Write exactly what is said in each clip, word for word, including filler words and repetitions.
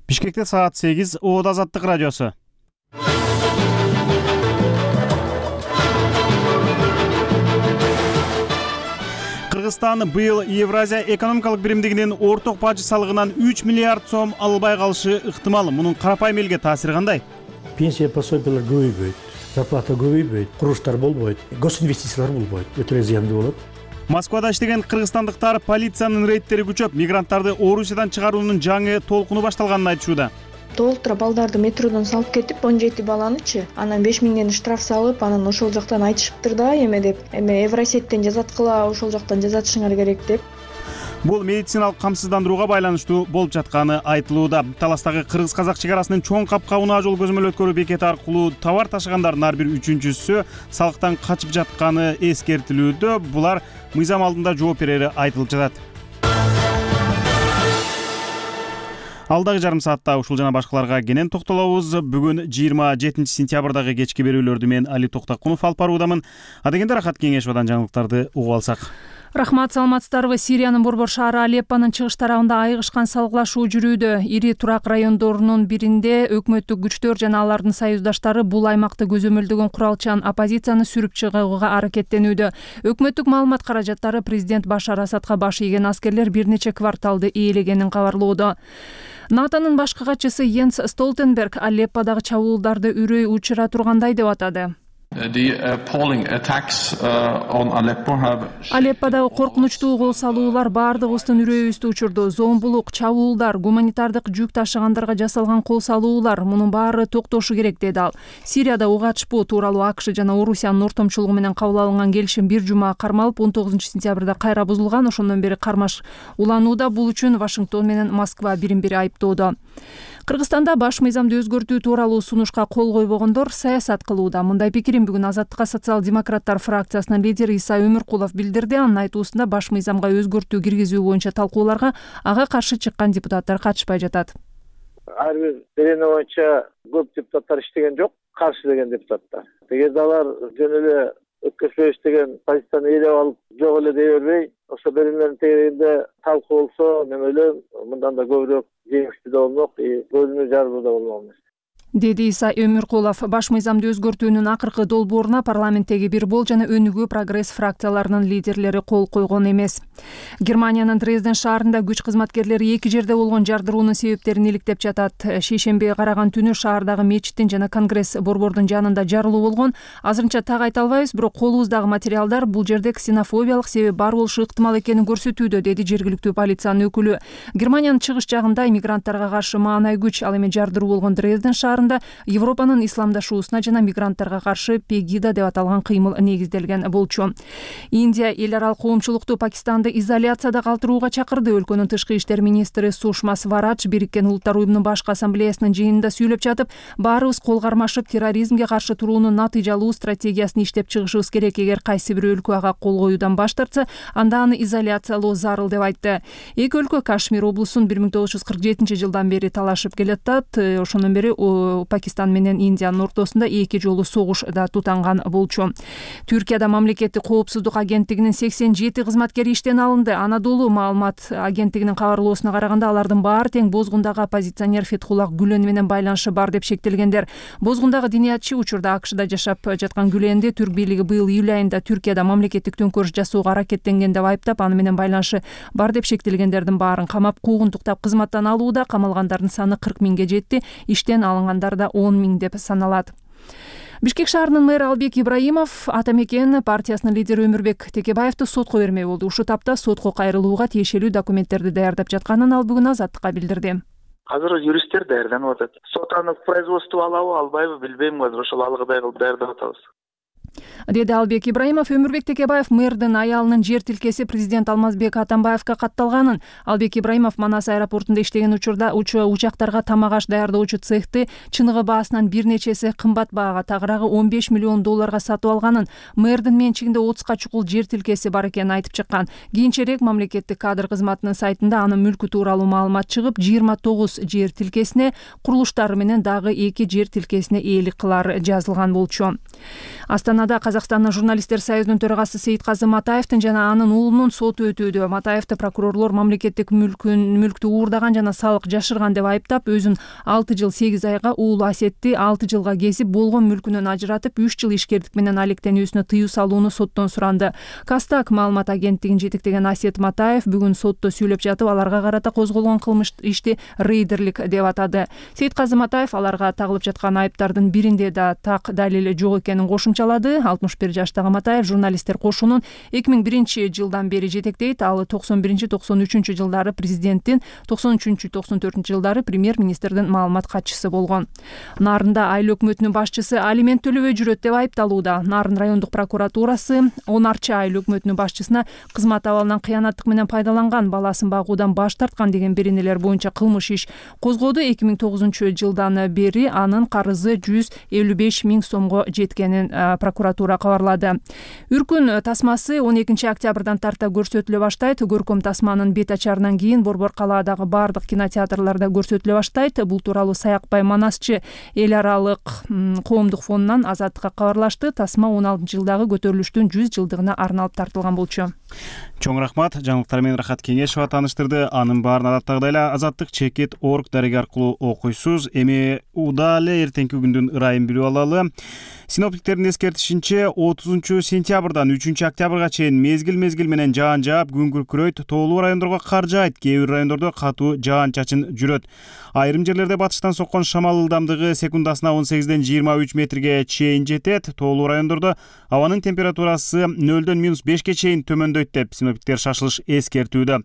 Бишкекте саат сегиз. Оот Азаттык радиосу. Кыргызстан быйыл Евразия экономикалык биримдигинин орток бажы салыгынан үч миллиард сом албай калышы ыктымал. Мунун карапайым элге таасири кандай? Пенсия пособиялар көбөйбөйт, зарплата көбөйбөйт, курулуштар болбойт, госинвестициялар болбойт, өтө эле зыяндуу болот. Москвада иштеген кыргызстандыктар полициянын рейдтери күчөп, мигранттарды Орусиядан чыгаруунун жаңы толкуну башталганын айтышууда. Толтура балдарды метродон салып кетип, он жети баланычы, анан беш миңден штраф салып, анан ошол жактан айтышыптыр да, эме деп, эме Евросеттен жазаткыла, ошол жактан жазатышыңар керек деп. Бул медициналык камсыздандырууга байланыштуу болуп жатканы айтылууда. Таластагы кыргыз-казак чек арасынын чоң капка унаа жол көзөмөл өткөрүү бекети аркылуу товар ташыгандардын ар бир үчүнчүсү салыктан качып жатканы эскертилүүдө. Булар мыйзам алдында жооп берери айтылып жатат. Алдагы жарым саатта ушул жана башкаларга кенен токтолобуз. Бүгүн жыйырма жетинчи сентябрдагы кечки берүүлөрдү мен Али Токтакунов алып баруудамын. Адегенде Рахат Кеңешовдон жаңылыктарды угуп алсак. Рахмат, саламатсыздарбы? Сириянын борбор шаары Алеппонун чыгыш тарабында айыгышкан салгылашуу жүрүүдө. Ири турак райондорунун биринде өкмөттүк күчтөр жана алардын союздаштары бул аймакты көзөмөлдөгөн куралчан оппозицияны сүрүп чыгууга аракеттенүүдө. Өкмөттүк маалымат каражаттары президент Башар Асадка баш ийген аскерлер бир нече кварталды ээлегенин кабарлоодо. НАТОнун башкы катчысы Йенс Столтенберг Алепподагы чабуулдарды үрөй учура тургандай деп атады. Алепподагы коркунучтуу кол салуулар баардыгыбыздын үрөйүбүздү учурду. Зомбулук, чабуулдар, гуманитардык жүк ташыгандарга жасалган кол салуулар, мунун баары токтошу керек, деди ал. Сирияда ук ачпоо тууралуу АКШ жана Орусиянын ортомчулугу менен кабыл алынган келишим бир жума кармалып, он тогузунчу сентябрда кайра бузулган. Ошондон бери кармаш уланууда. Бул үчүн Вашингтон менен Москва бирин-бири айыптоодо. Кыргызстанда баш мыйзамды өзгөртүү тууралуу сунушка кол койбогондор саясат кылууда. Мындай пикирин бүгүн Азаттыкка социал-демократтар фракциясынын лидери Иса Өмүркулов билдирди. Анын айтуусунда баш мыйзамга өзгөртүү киргизүү боюнча талкууларга ага каршы чыккан депутаттар катышпай жатат. Ар бир берене боюнча көп депутаттар иштеген жок, каршы деген депутаттар. Эгерде алар жөн эле өткөзбөйбүз деген позицияны ээлеп алып, жок эле дей бербей, ошо беренелердин тегерегинде талкуу болсо, мен ойлойм, мындан да көбүрөөк жеңиштүү да болмок, бөлүнүү жарылуу да болмок эмес, деди Иса Өмүркулов. Баш мыйзамды өзгөртүүнүн акыркы долбооруна парламенттеги Бир бол жана Өнүгүү прогресс фракцияларынын лидерлери кол койгон эмес. Германиянын Дрезден шаарында күч кызматкерлери эки жерде болгон жардыруунун себептерин иликтеп жатат. Шейшембиге караган түнү шаардагы мечиттин жана Конгресс борбордун жанында жарылуу болгон. Азырынча так айта албайбыз, бирок колубуздагы материалдар бул жерде ксенофобиялык себеп бар болушу ыктымал экенин көрсөтүүдө, деди жергиликтүү полициянын өкүлү. Германиянын чыгыш жагында иммигранттарга каршы маанай күч, ал эми жардыруу болгон Дрезден шаарында Европанын исламдашуусуна жана мигранттарга каршы Пегида деп аталган кыймыл негизделген болчу. Индия эл аралык коомчулукту Пакистанды изоляцияда калтырууга чакырды. Өлкөнүн тышкы иштер министри Сушма Сварадж Бириккен Улуттар уюмунун башкы ассамблеясынын жыйынында сүйлөп жатып, баарыбыз кол кармашып терроризмге каршы туруунун натыйжалуу стратегиясын иштеп чыгышыбыз керек. Эгер кайсы бир өлкө ага кол коюудан баш тартса, анда аны изоляциялоо зарыл деп айтты. Эки өлкө Кашмир облусун бир миң тогуз жүз кырк жетинчи жылдан бери талашып келатат. Ошондон бери Пакистан менен Индиянын ортосунда эки жолу согуш да тутанган болчу. Түркияда мамлекеттик коопсуздук агенттигинин сексен жети кызматкери иштен алынды. Анадолу маалымат агенттигинин кабарлоосуна караганда, алардын баары тең бозгундагы оппозиционер Фетхуллах Гүлен менен байланышы бар деп шектелгендер. Бозгундагы диниятчы учурда АКШда жашап жаткан Гүленди Түрк бийлиги быйыл июль айында Түркияда мамлекеттик төңкөрүш жасоого аракеттенген деп айыптап, аны менен байланышы бар деп шектелгендердин баарын камап, куугунтуктап кызматтан алууда. Камалгандардын саны кырк миңге жетти, иштен алынгандар да он миң деп саналат. Бишкек шаарынын мэрі Албек Ибраимов Ата Мекен партиясынын лидери Өмүрбек Текебаевди сотко бермей болду. Ушул тапта сотко кайрылууга тиешелүү документтерди даярдап жатканын ал бүгүн Азаттыкка билдирди. Азыр юристтер даярданып атат. Сот аны в производство алабы, албайбы билбейм. Азыр ошол алгыдай кылып даярдап атабыз, деди Албек Ибраимов. Өмүрбек Текебаев мэрдин аялынын жер тилкеси президент Алмазбек Атамбаевка катталганын, Албек Ибраимов Манас аэропортунда иштеген учурда учактарга тамак аш даярдоочу цехти чыныгы баасынан бир нечеси кымбат баага, тагыраагы он беш миллион долларга сатып алганын, мэрдин менчигинде отузга чукул жер тилкеси бар экенин айтып чыккан. Кийинчерээк мамлекеттик кадр кызматынын сайтында анын мүлкү тууралуу маалымат чыгып, жыйырма тогуз жер тилкесине, курулуштары менен дагы эки жер тилкесине ээлик кылар жазылган болчу. Астана астанада Казакстандын журналисттер союзунун төрагасы Сейитказы Матаевдин жана анын уулунун соту өтүүдө. Матаевди прокурорлор мамлекеттик мүлкүн мүлктү уурдаган жана салык жашырган деп айыптап, өзүн алты жыл сегиз айга, уулу Асетти алты жылга кезип, болгон мүлкүнөн ажыратып, үч жыл ишкердик менен алектенүүсүнө тыюу салууну соттон суранды. Кастак маалымат агенттигин жетектеген Асет Матаев бүгүн сотто сүйлөп жатып, аларга карата козголгон кылмыш ишти рейдерлик деп атады. Сейитказы Матаев аларга тагылып жаткан айыптардын биринде да так далил жок экенин кошумчалады. алтымыш бир жаштагы Матаев журналисттер кошунун эки миң биринчи жылдан бери жетектейт. Ал токсон биринчи токсон үчүнчү жылдары президенттин, токсон үчүнчү токсон төртүнчү жылдары премьер-министрдин маалымат катчысы болгон. Нарында айыл өкмөтүнүн башчысы алимент төлөбөй жүрөт деп айыпталууда. Нарын райондук прокуратурасы Онарчы айыл өкмөтүнүн башчысына кызмат абалынан кыянаттык менен пайдаланган, баласын багуудан баш тарткан деген беренелер боюнча кылмыш иш козгоду. эки миң тогузунчу жылдан бери анын карызы жүз элүү беш миң сомго жеткенин прокуратура кабарлады. Үркүн тасмасы он экинчи октябрдан тарта көрсөтүлө баштайт. Көркөм тасманын бет ачарынан кийин Борбор калаадагы бардык кинотеатрларда көрсөтүлө баштайт. Бул тууралуу Саякбай Манасчы эл аралык коомдук фондунан Азаттыкка кабарлашты. Тасма он алтынчы жылдагы көтөрүлүштүн жүз жылдыгына арналып тартылган болчу. Чоң рахмат. Жаңылыктар менен Рахат Кеңешова тааныштырды. Анын баарын адаттагыдай эле Азаттык чекит орг дареги аркылуу окуйсуз. Эми ууда эле эртеңки күндүн ырайын билип алалы. Синоптиктердин эскертишинче отузунчу сентябрдан үчүнчү октябрга чейин мезгил-мезгил менен жаан жаап, күн күркүрөйт, тоолуу райондорго кар жаайт, кээ бир райондордо катуу жаан-чачын жүрөт. Айрым жерлерде батыштан соккон шамал ылдамдыгы секундасына он сегизден жыйырма үч метрге чейин жетет. Тоолуу райондордо абанын температурасы нөлдөн минус бешке чейин төмөндөйт деп синоптиктер шашылыш эскертүүдө.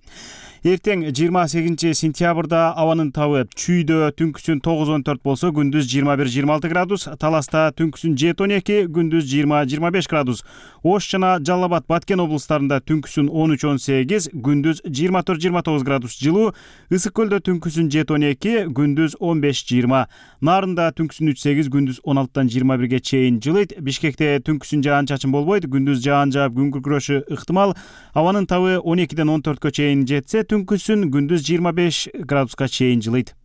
Эртең жыйырма сегизинчи сентябрда абанын табы Чүйдө түнкүсүн тогуз он төрт болсо, күндүз жыйырма бир жыйырма алты градус, Таласта түнкүсүн жети он эки, күндүз жыйырма жыйырма беш градус, Ош жана Жалал Абад, Баткен облустарында түнкүсүн он үч он сегиз, күндүз жыйырма төрт жыйырма тогуз градус жылуу, Ысык көлдө түнкүсүн жети он эки, күндүз он беш жыйырма, Нарында түнкүсүн үч сегиз, күндүз он алтыдан жыйырма бирге чейин жылыйт. Бишкекте түнкүсүн жаан-чачын болбойт, күндүз жаан жаап, күн күркүрөшү ыктымал. Абанын табы он экиден он төрткө чейин жетсе, түнкүсүн күндүз жыйырма беш градуска чейин жылыйт.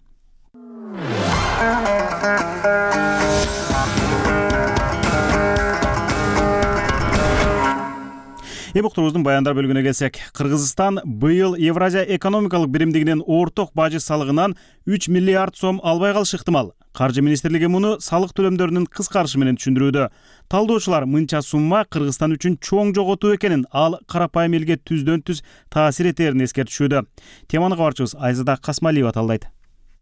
Эми уктурубуздун баяндар бөлүгүнө келсек, Кыргызстан быйыл Евразия экономикалык биримдигинин орток бажы салыгынан үч миллиард сом албай калышы ыктымал. Каржы министрлиги муну салык төлөмдөрүнүн кыскарышы менен түшүндүрүүдө. Талдоочулар мынча сумма Кыргызстан үчүн чоң жоготуу экенин, ал карапайым элге түздөн түз таасир этерин эскертишүүдө. Теманы кабарчыбыз Айзада Касмалиева талдайт.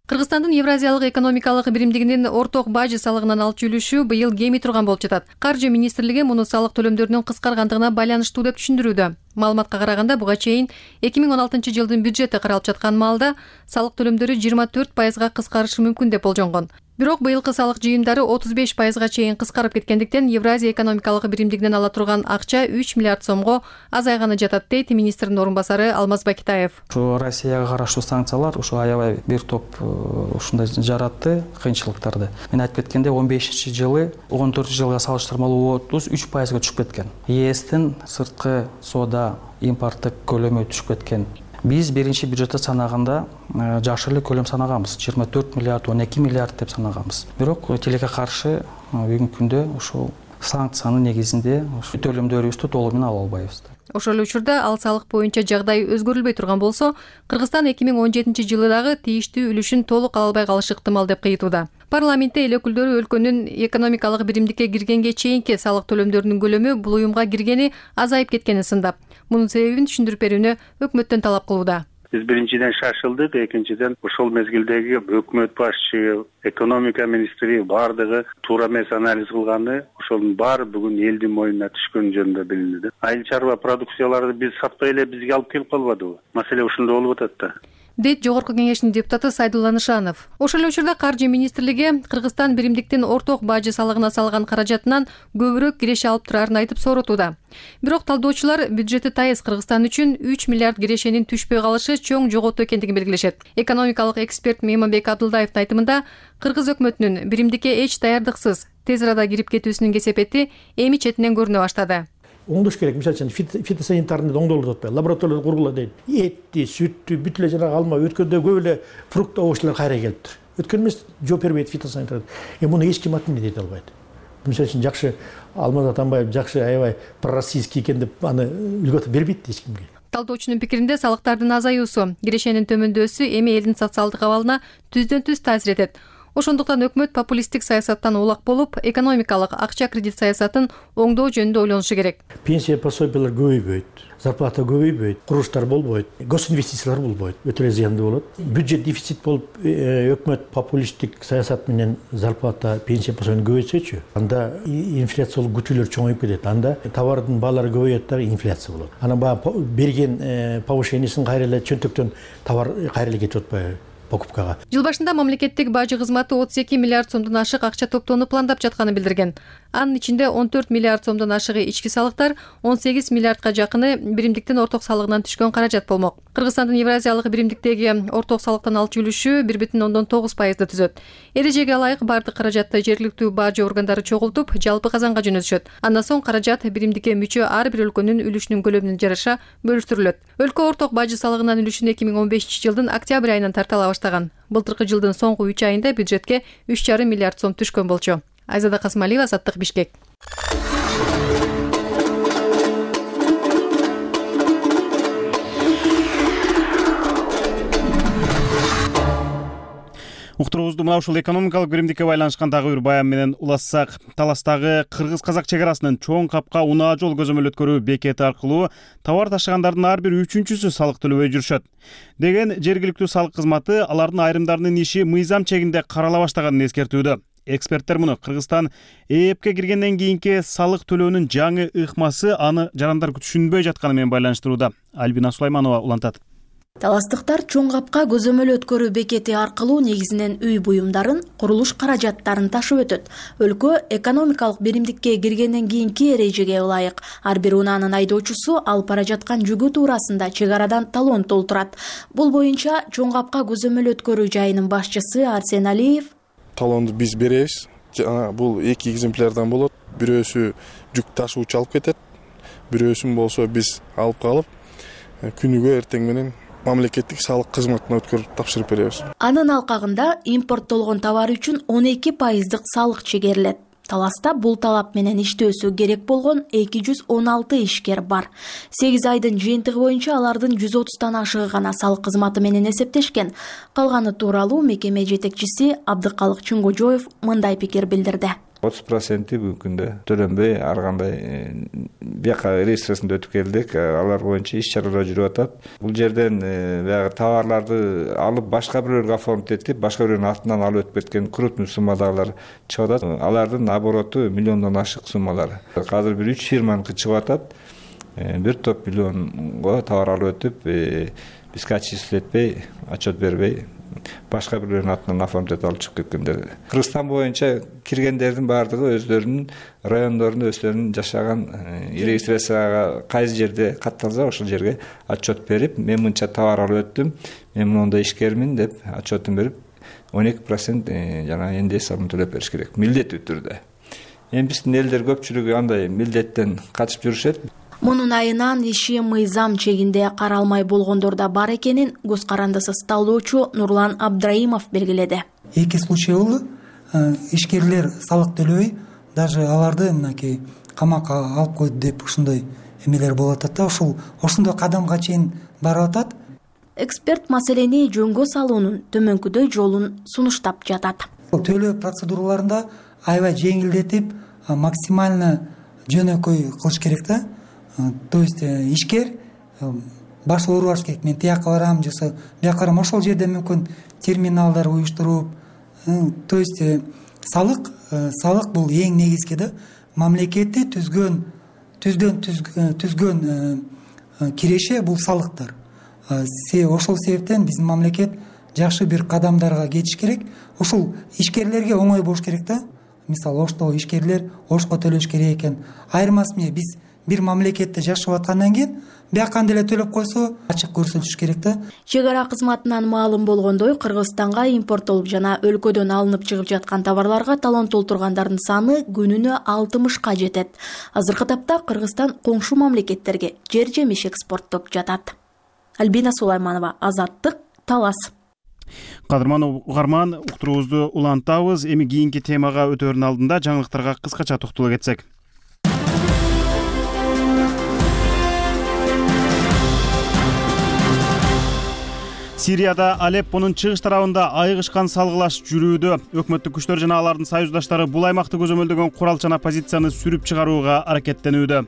Кыргызстандын Евразиялык экономикалык биримдигинин орток бажы салыгынан алчу үлүшү быйыл кеми турган болуп жатат. Каржы министрлиги муну салык төлөмдөрүнүн кыскаргандыгына байланыштуу деп түшүндүрүүдө. Маалыматка караганда, буга чейин эки миң он алтынчы жылдын бюджети каралып жаткан маалда салык төлөмдөрү жыйырма төрт пайызга кыскарышы мүмкүн деп болжонгон. Бирок быйылкы салык жыйымдары отуз беш пайызга чейин кыскарып кеткендиктен Евразия экономикалык биримдигинен ала турган акча үч миллиард сомго азайганы жатат, дейт министрдин орун басары Алмаз Бакитаев. Ушу Россияга караштуу санкциялар ушу аябай бир топ ушундай жаратты кыйынчылыктарды. Мен айтып кеткенде он бешинчи жылы он төртүнчү жылга салыштырмалуу отуз үч пайызга түшүп кеткен. ЕСтин сырткы соода импорттук көлөмү түшүп кеткен. Биз биринчи бюджетте санаганда жакшы эле көлөм санаганбыз. жыйырма төрт миллиард, он эки миллиард деп санаганбыз. Бирок тилекке каршы бүгүнкү күндө ушул санкциянын негизинде төлөмдөрүбүздү толугу менен ала албайбыз. Ошол эле учурда ал салык боюнча жагдай өзгөрүлбөй турган болсо, Кыргызстан эки миң он жетинчи жылы дагы тийиштүү үлүшүн толук ала албай калышы ыктымал деп кыйтууда. Парламентте эл өкүлдөрү өлкөнүн экономикалык биримдикке киргенге чейинки салык төлөмдөрүнүн көлөмү бул уюмга киргени азайып кеткенин сындап, мунун себебин түшүндүрүп берүүнү өкмөттөн талап кылууда. Биз биринчиден шашылдык, экинчиден ошол мезгилдеги өкмөт башчы, экономика министри бардыгы туура эмес анализ кылганы, ошонун баары бүгүн элдин мойнуна түшкөн жөнүндө билинди. Айыл чарба продукцияларды биз сатпай эле бизге алып келип калбадыбы? Маселе ушунда болуп атат да. дейт Жогорку кеңештин депутаты Сайдулла Нышанов. Ошол эле учурда Каржы министрлиги Кыргызстан биримдиктин орток бажы салыгына салган каражатынан көбүрөөк киреше алып турарын айтып соротууда. Бирок талдоочулар бюджети тайыз Кыргызстан үчүн үч миллиард кирешенин түшпөй калышы чоң жоготуу экендигин белгилешет. Экономикалык эксперт Мейманбек Абдулдаевдин айтымында, Кыргыз өкмөтүнүн биримдикке эч даярдыксыз тез арада кирип кетүүсүнүн кесепети эми четинен көрүнө баштады. Оңдош керек. Мисалы үчүн фитосанитарный оңдолуп атпайбы? Лабораторияда кургула дейт. Этти, сүттү, бүт эле жанагы алма, өткөндө көп эле фрукт, овощлар кайра келиптир. Өткөн эмес жооп бербейт фитосанитар. Эми муну эч ким отменить эте албайт. Мисалы үчүн жакшы Алмаз Атамбаев жакшы аябай пророссийский экен деп аны үлгөтүп бербейт эч кимге. Талдоочунун пикиринде салыктардын азаюусу, кирешенин төмөндөсү эми элдин социалдык абалына түздөн түз таасир этет. Ошондуктан өкмөт популисттик саясаттан улак болуп, экономикалык акча кредит саясатын оңдоо жөнүндө ойлонушу керек. Пенсия пособиялар көбөйбөйт, зарплата көбөйбөйт, курулуштар болбойт, госинвестициялар болбойт, өтө эле зыяндуу болот. Бюджет дефицит болуп, өкмөт популисттик саясат менен зарплата, пенсия пособияны көбөйтсөчү, анда инфляциялык күтүүлөр чоңоюп кетет. Анда товардын баалары көбөйөт да инфляция болот. Анан баягы берген повышениесин кайра эле чөнтөктөн товар кайра эле кетип атпайбы? Покупкага. Жыл башында мамлекеттик бажы кызматы отуз эки миллиард сомдон ашык акча топтоону пландап жатканын билдирген. Анын ичинде он төрт миллиард сомдон ашыгы ички салыктар, он сегиз миллиардка жакыны биримдиктин орток салыгынан түшкөн каражат болмок. Кыргызстандын Евразиялык биримдиктеги орток салыктан алчу үлүшү бир бүтүн ондон тогуз пайызды түзөт. Эрежеге ылайык бардык каражатты жергиликтүү бажы органдары чогултуп, жалпы казанга жөнөтүшөт. Андан соң каражат биримдикке мүчө ар бир өлкөнүн үлүшүнүн көлөмүнө жараша бөлүштүрүлөт. Өлкө орток бажы салыгынын үлүшүн эки миң он бешинчи жылдын октябрь айынан тартала баштаган. Былтыркы жылдын соңку үч айында бюджетке үч жарым миллиард сом түшкөн болчу. Айзада Касымалиева, Азаттык, Бишкек. Уктуруубузду мына ушул экономикалык биримдикке байланышкан дагы бир баян менен улассак. Таластагы кыргыз-казак чек арасынын чоң капка унаа жол көзөмөл өткөрүү бекети аркылуу товар ташыгандардын ар бир үчүнчүсү салык төлөбөй жүрүшөт деген жергиликтүү салык кызматы алардын айрымдарынын иши мыйзам чегинде карала баштаганын эскертүүдө. Эксперттер муну Кыргызстан ЭЭПке киргенден кийинки салык төлөөнүн жаңы ыкмасы аны жарандар түшүнбөй жатканы менен байланыштырууда. Альбина Сулайманова улантат. Таластыктар чоң капка көзөмөл өткөрүү бекети аркылуу негизинен үй буюмдарын, курулуш каражаттарын ташып өтөт. Өлкө экономикалык биримдикке киргенден кийинки эрежеге ылайык ар бир унаанын айдоочусу алып бара жаткан жүгү туурасында чек арадан талон толтурат. Бул боюнча чоң капка көзөмөл өткөрүү жайынын башчысы Арсен Алиев: талонду биз беребиз. Жана бул эки экземплярдан болот. Бирөөсү жүк ташуучу алып кетет, бирөөсүн болсо биз алып калып, күнүгө эртең менен мамлекеттик салык кызматына өткөрүп тапшырып беребиз. Анын алкагында импорттолгон товар үчүн он эки пайыздык салык чегерилет. Таласта бул талап менен иштөөсү керек болгон эки жүз он алты ишкер бар. сегиз айдын жыйынтыгы боюнча алардын жүз отуздан ашыгы гана салык кызматы менен эсептешкен. Калганы тууралуу мекеме жетекчиси Абдыкалык Чуңгожоев мындай пикир билдирди. отуз проценти бүгүнкү күндө төлөнбөй ар кандай бияка реестрасында өтүп келдик. Алар боюнча иш чаралар жүрүп атат. Бул жерден баягы товарларды алып башка бирөөгө оформить этип, башка бирөөнүн атынан алып өтүп кеткен крупный суммадагылар чыгып атат. Алардын обороту миллиондон ашык суммалар. Азыр бир үч фирманыкы чыгып атат. Бир топ миллионго товар алып өтүп, бизге отчислить этпей, отчет бербей, башка бирөөнүн атынан оформить алып чыгып кеткендер. Кыргызстан боюнча киргендердин баардыгы өздөрүнүн райондорунда өздөрүнүн жашаган регистрацияга кайсы жерде катталса ошол жерге отчет берип, мен мынча товар алып өттүм, мен моундай ишкермин деп отчетун берип, он эки процент жана эн дэ эс салымын төлөп бериш керек, милдеттүү түрдө. Эми биздин элдер көпчүлүгү андай милдеттен качып жүрүшөт. Мунун айынан иши мыйзам чегинде каралмай болгондор да бар экенин көз карандысыз талдоочу Нурлан Абдраимов белгиледи. Эки случай болду. Ишкерлер салык төлөбөй, даже аларды мынакей камакка алып койду деп ушундай эмелер болуп атат да, ушул ошондой кадамга чейин барып атат. Эксперт маселени жөнгө салуунун төмөнкүдөй жолун сунуштап жатат. Төлөө процедураларында аябай жеңилдетип, максимально жөнөкөй кылыш керек да. То есть ишкер баш оорубаш керек. Мен тияка барам, жаса бияка барам. Ошол жерде мүмкүн терминалдар уюштуруп, то есть салык, салык бул эң негизги да. Мамлекетти түзгөн, түздөн түзгөн киреше бул салыктар. Ошол себептен биздин мамлекет жакшы бир кадамдарга кетиш керек. Ошол ишкерлерге оңой болуш керек да. Мисалы, ошто ишкерлер ошко төлөш керек экен. Айырмасы эмне? Биз бир мамлекетте жашап аткандан кийин биякан деле төлөп койсо ачык көрсөтүш керек да. Чек ара кызматынан маалым болгондой, Кыргызстанга импорттолуп жана өлкөдөн алынып чыгып жаткан товарларга талон толтургандардын саны күнүнө алтымышка жетет. Азыркы тапта Кыргызстан коңшу мамлекеттерге жер жемиш экспорттоп жатат. Альбина Сулайманова, Азаттык, Талас. Кадырман угарман, уктуруубузду улантабыз. Эми кийинки темага өтөөрдүн алдында жаңылыктарга кыскача токтоло кетсек. Сирияда Алеппонун чыгыш тарабында айыгышкан салгылаш жүрүүдө. Өкмөттүк күчтөр жана алардын союздаштары бул аймакты көзөмөлдөгөн куралчан оппозицияны сүрүп чыгарууга аракеттенүүдө.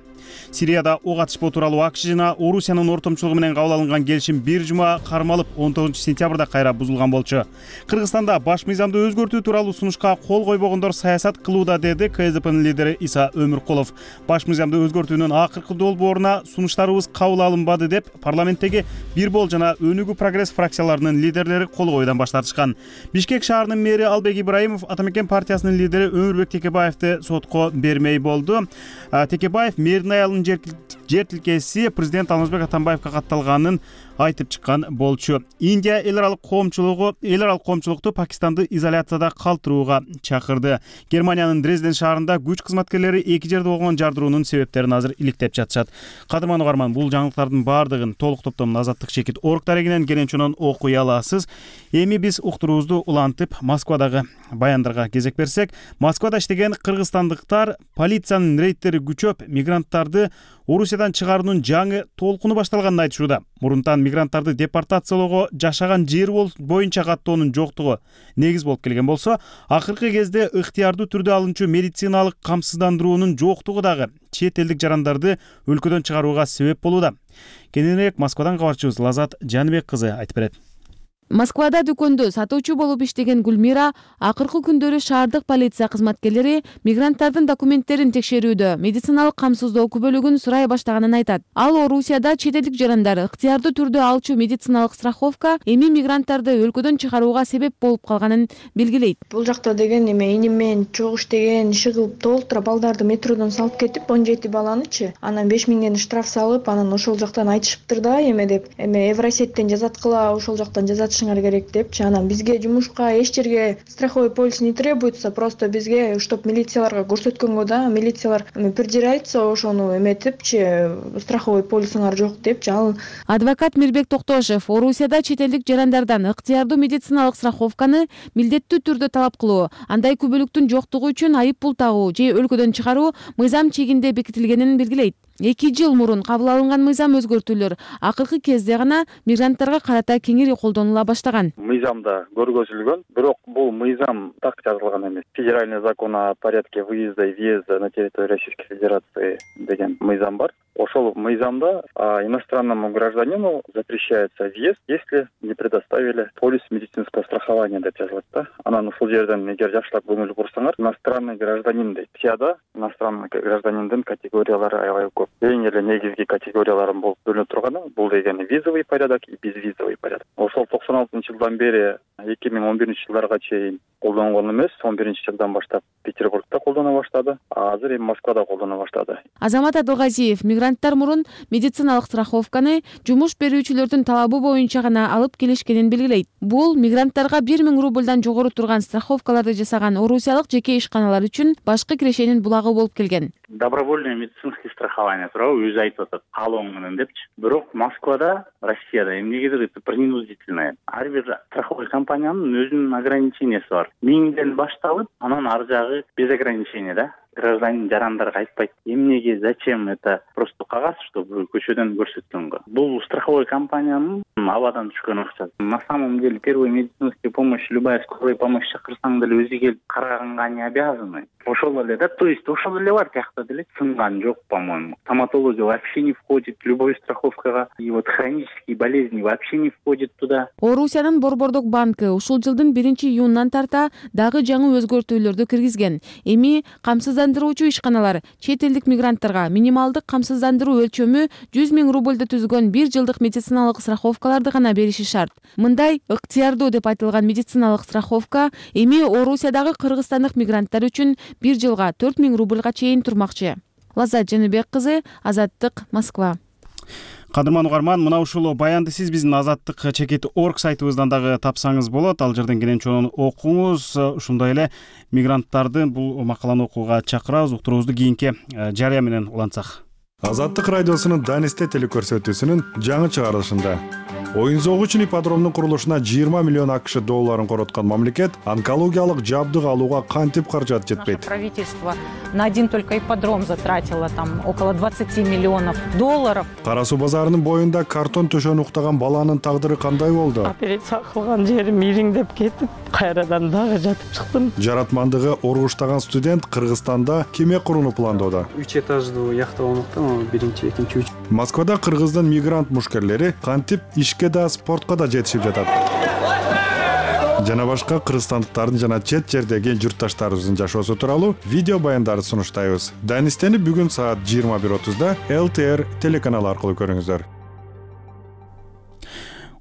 Сирияда ок атышпоо тууралуу АКШ жана Орусиянын ортомчулугу менен кабыл алынган келишим бир жума кармалып, он тогузунчу сентябрда кайра бузулган болчу. Кыргызстанда баш мыйзамды өзгөртүү тууралуу сунушка кол койбогондор саясат кылууда, деди КСДПнын лидери Иса Өмүркулов. Баш мыйзамды өзгөртүүнүн акыркы долбооруна сунуштарыбыз кабыл алынбады деп парламенттеги Бир Бол жана Өнүгүү прогресс фракцияларынын лидерлери кол койуудан баш тартышкан. Бишкек шаарынын мэри Албек Ибраимов Ата Мекен партиясынын лидери Өмүрбек Текебаевди сотко бермей болду. Текебаев мэрдин аялынын жер тилкеси президент Алмазбек Атамбаевга катталганын айтып чыккан болчу. Индия эл аралык коомчулугу эл аралык коомчулукту Пакистанды изоляцияда калтырууга чакырды. Германиянын Дрезден шаарында күч кызматкерлери эки жерде болгон жардыруунун себептерин азыр иликтеп жатышат. Кадырман угарман, бул жаңылыктардын баардыгын толук топтомдон азаттык чекит орг дарегинен келенчонон окуй аласыз. Эми биз уктуруубузду улантып Москвадагы баяндарга кезек берсек, Москвада иштеген кыргызстандыктар полициянын рейдтери күчөп, мигранттарды Орусиядан чыгаруунун жаңы толкуну башталганын айтышууда. Мурунтан мигранттарды депортациялоого жашаган жер боюнча каттоонун жоктугу негиз болуп келген болсо, акыркы кезде ыктыярдуу түрдө алынчу медициналык камсыздандыруунун жоктугу дагы чет элдик жарандарды өлкөдөн чыгарууга себеп болууда. Кененирээк Москвадан кабарчыбыз Лазат Жаныбек кызы айтып берет. Москвада дүкөндө сатуучу болуп иштеген Гүлмира акыркы күндөрү шаардык полиция кызматкерлери мигранттардын документтерин текшерүүдө медициналык камсыздоо күбөлүгүн сурай баштаганын айтат. Ал Орусияда чет элдик жарандар ыктыярдуу түрдө алчу медициналык страховка эми мигранттарды өлкөдөн чыгарууга себеп болуп калганын белгилейт. Бул жакта деген эме иним менен чогуу иштеген, иши кылып толтуруп балдарды метродон салып кетип, он жети баланычы, анан беш миңден штраф салып, анан ошол жактан айтышыптыр да эме деп, эме Евросеттен жазаткыла, ошол жактан жазат керек депчи. Анан бизге жумушка эч жерге страховой полис не требуется, просто бизге чтоб милицияларга көрсөткөнгө да, милициялар бир жер айтса ошону эметипчи, страховой полисиңар жок депчи. Ал адвокат Мирбек Токтошев Орусияда чет элдик жарандардан ыктыярдуу медициналык страховканы милдеттүү түрдө талап кылуу, андай күбөлүктүн жоктугу үчүн айып пул тагуу же өлкөдөн чыгаруу мыйзам чегинде бекитилгенин белгилейт. Эки жыл мурун кабыл алынган мыйзам өзгөртүүлөр акыркы кезде гана мигранттарга карата кеңири колдонула баштаган. Мыйзамда көргөзүлгөн, бирок бул мыйзам так жазылган эмес. Федеральный закон о порядке выезда и въезда на территорию Российской Федерации деген мыйзам бар. Ошол мыйзамда иностранному гражданину запрещается въезд, если не предоставили полис медицинского страхования деп жазылат да. Анан ушул жерден эгер жакшылап көңүл бурсаңар, иностранный гражданин дейт. Сияда иностранный гражданиндин категориялары аябай көп. Эң эле негизги категорияларын болуп бөлүнүп турганы бул дегени визовый порядок и безвизовый порядок. Ошол токсон алтынчы жылдан бери эки миң он биринчи жылдарга чейин колдонгон эмес, он биринчи жылдан баштап Петербургда колдоно баштады, а азыр эми Москвада колдоно баштады. Азамат Адылгазиев мигранттар мурун медициналык страховканы жумуш берүүчүлөрдүн талабы боюнча гана алып келишкенин белгилейт. Бул мигранттарга бир миң рубльдан жогору турган страховкаларды жасаган орусиялык жеке ишканалар үчүн башкы кирешенин булагы болуп келген. Добровольное медицинское страхование тууралуу өзү айтып атат, каалоо менен депчи. Бирок Москвада, Россияда эмнегедир это принудительное. Ар бир страховой компаниянын өзүнүн ограничениясы бар. Миңден башталып, анан ар жагы без ограничения да. Гражданин жарандарга айтпайт, эмнеге, зачем это, просто кагаз, чтобы көчөдөн көрсөткөнгө. Бул страховой компаниянын абадан түшкөн акчасы. На самом деле первая медицинская помощь, любая скорая помощь чакырсаң деле өзү келип караганга не обязаны. Ошол эле да, то есть ошол эле бар тиякта деле, сынган жок, по-моему. Стоматология вообще не входит, любой страховкага, и вот хронические болезни вообще не входит туда. Орусиянын Борбордук банкы ушул жылдын биринчи июнунан тарта дагы жаңы өзгөртүүлөрдү киргизген. Эми камсыздандыруучу ишканалар чет элдик мигранттарга минималдык камсыздандыруу өлчөмү жүз миң рубльды түзгөн бир жылдык медициналык страховкаларды гана бериши шарт. Мындай ыктыярдуу деп айтылган медициналык страховка эми Орусиядагы кыргызстандык мигранттар үчүн бир жылга төрт миң рубльга чейин турмакчы. Лазат Жаныбек кызы, Азаттык, Москва. Кадырман угарман, мына ушул баянды сиз биздин Азаттык чекит орг сайтыбыздан дагы тапсаңыз болот. Ал жерден кененчонун окуңуз. Ушундай эле мигранттарды бул макаланы окууга чакырабыз. Уктуруубузду кийинки жарыя менен улантсак. Азаттык радиосунун Данисте телекөрсөтүүсүнүн жаңы чыгарылышында Оюн зоогу үчүн ипподромдун курулушуна жыйырма миллион акш долларын короткон мамлекет онкологиялык жабдык алууга кантип каражат жетпейт? Правительство на один только ипподром затратило там около двадцати миллионов долларов. Кара суу базарынын боюнда картон төшөнү уктаган баланын тагдыры кандай болду? Операция кылган жерим ириңдеп кетип, кайрадан дагы жатып чыктым. Жаратмандыгы оргуштаган студент Кыргызстанда кеме курууну пландоодо. үч этаждуу яхта болмокта, биринчи, экинчи, үч. Москвада кыргыздын мигрант мушкерлери кантип ишке да спортко да жетишип жатат. Жана башка кыргызстандыктардын жана чет жердеги журтташтарыбыздын жашоосу тууралуу видео баяндарды сунуштайбыз. Данистени бүгүн саат жыйырма бир отузда эл ти эр телеканалы аркылуу көрүңүздөр.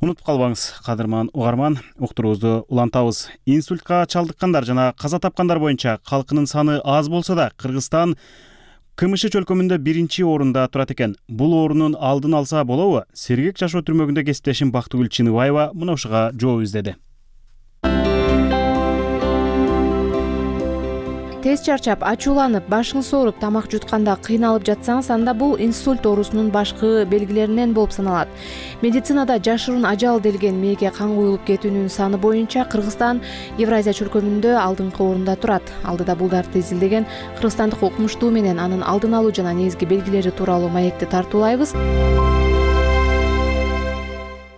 Унутуп калбаңыз, кадырман угарман, уктуруубузду улантабыз. Инсультка чалдыккандар жана каза тапкандар боюнча калкынын саны аз болсо да, Кыргызстан КМШ чөлкөмүндө биринчи орунда турат экен. Бул орунун алдын алса болобу? Сергек жашоо түрмөгүндө кесиптешим Бактыгүл Чыныбаева мына ушуга жооп издеди. Тез чарчап, ачууланып, башыңыз ооруп, тамак жутканда кыйналып жатсаңыз, анда бул инсульт оорусунун башкы белгилеринен болуп саналат. Медицинада жашыруун ажал делген мээге кан куюлуп кетүүнүн саны боюнча Кыргызстан Евразия чөлкөмүндө алдыңкы орунда турат. Алдыда булдарды изилдеген кыргызстандык окумуштуу менен анын алдын алуу жана негизги белгилери тууралуу маекти тартуулайбыз.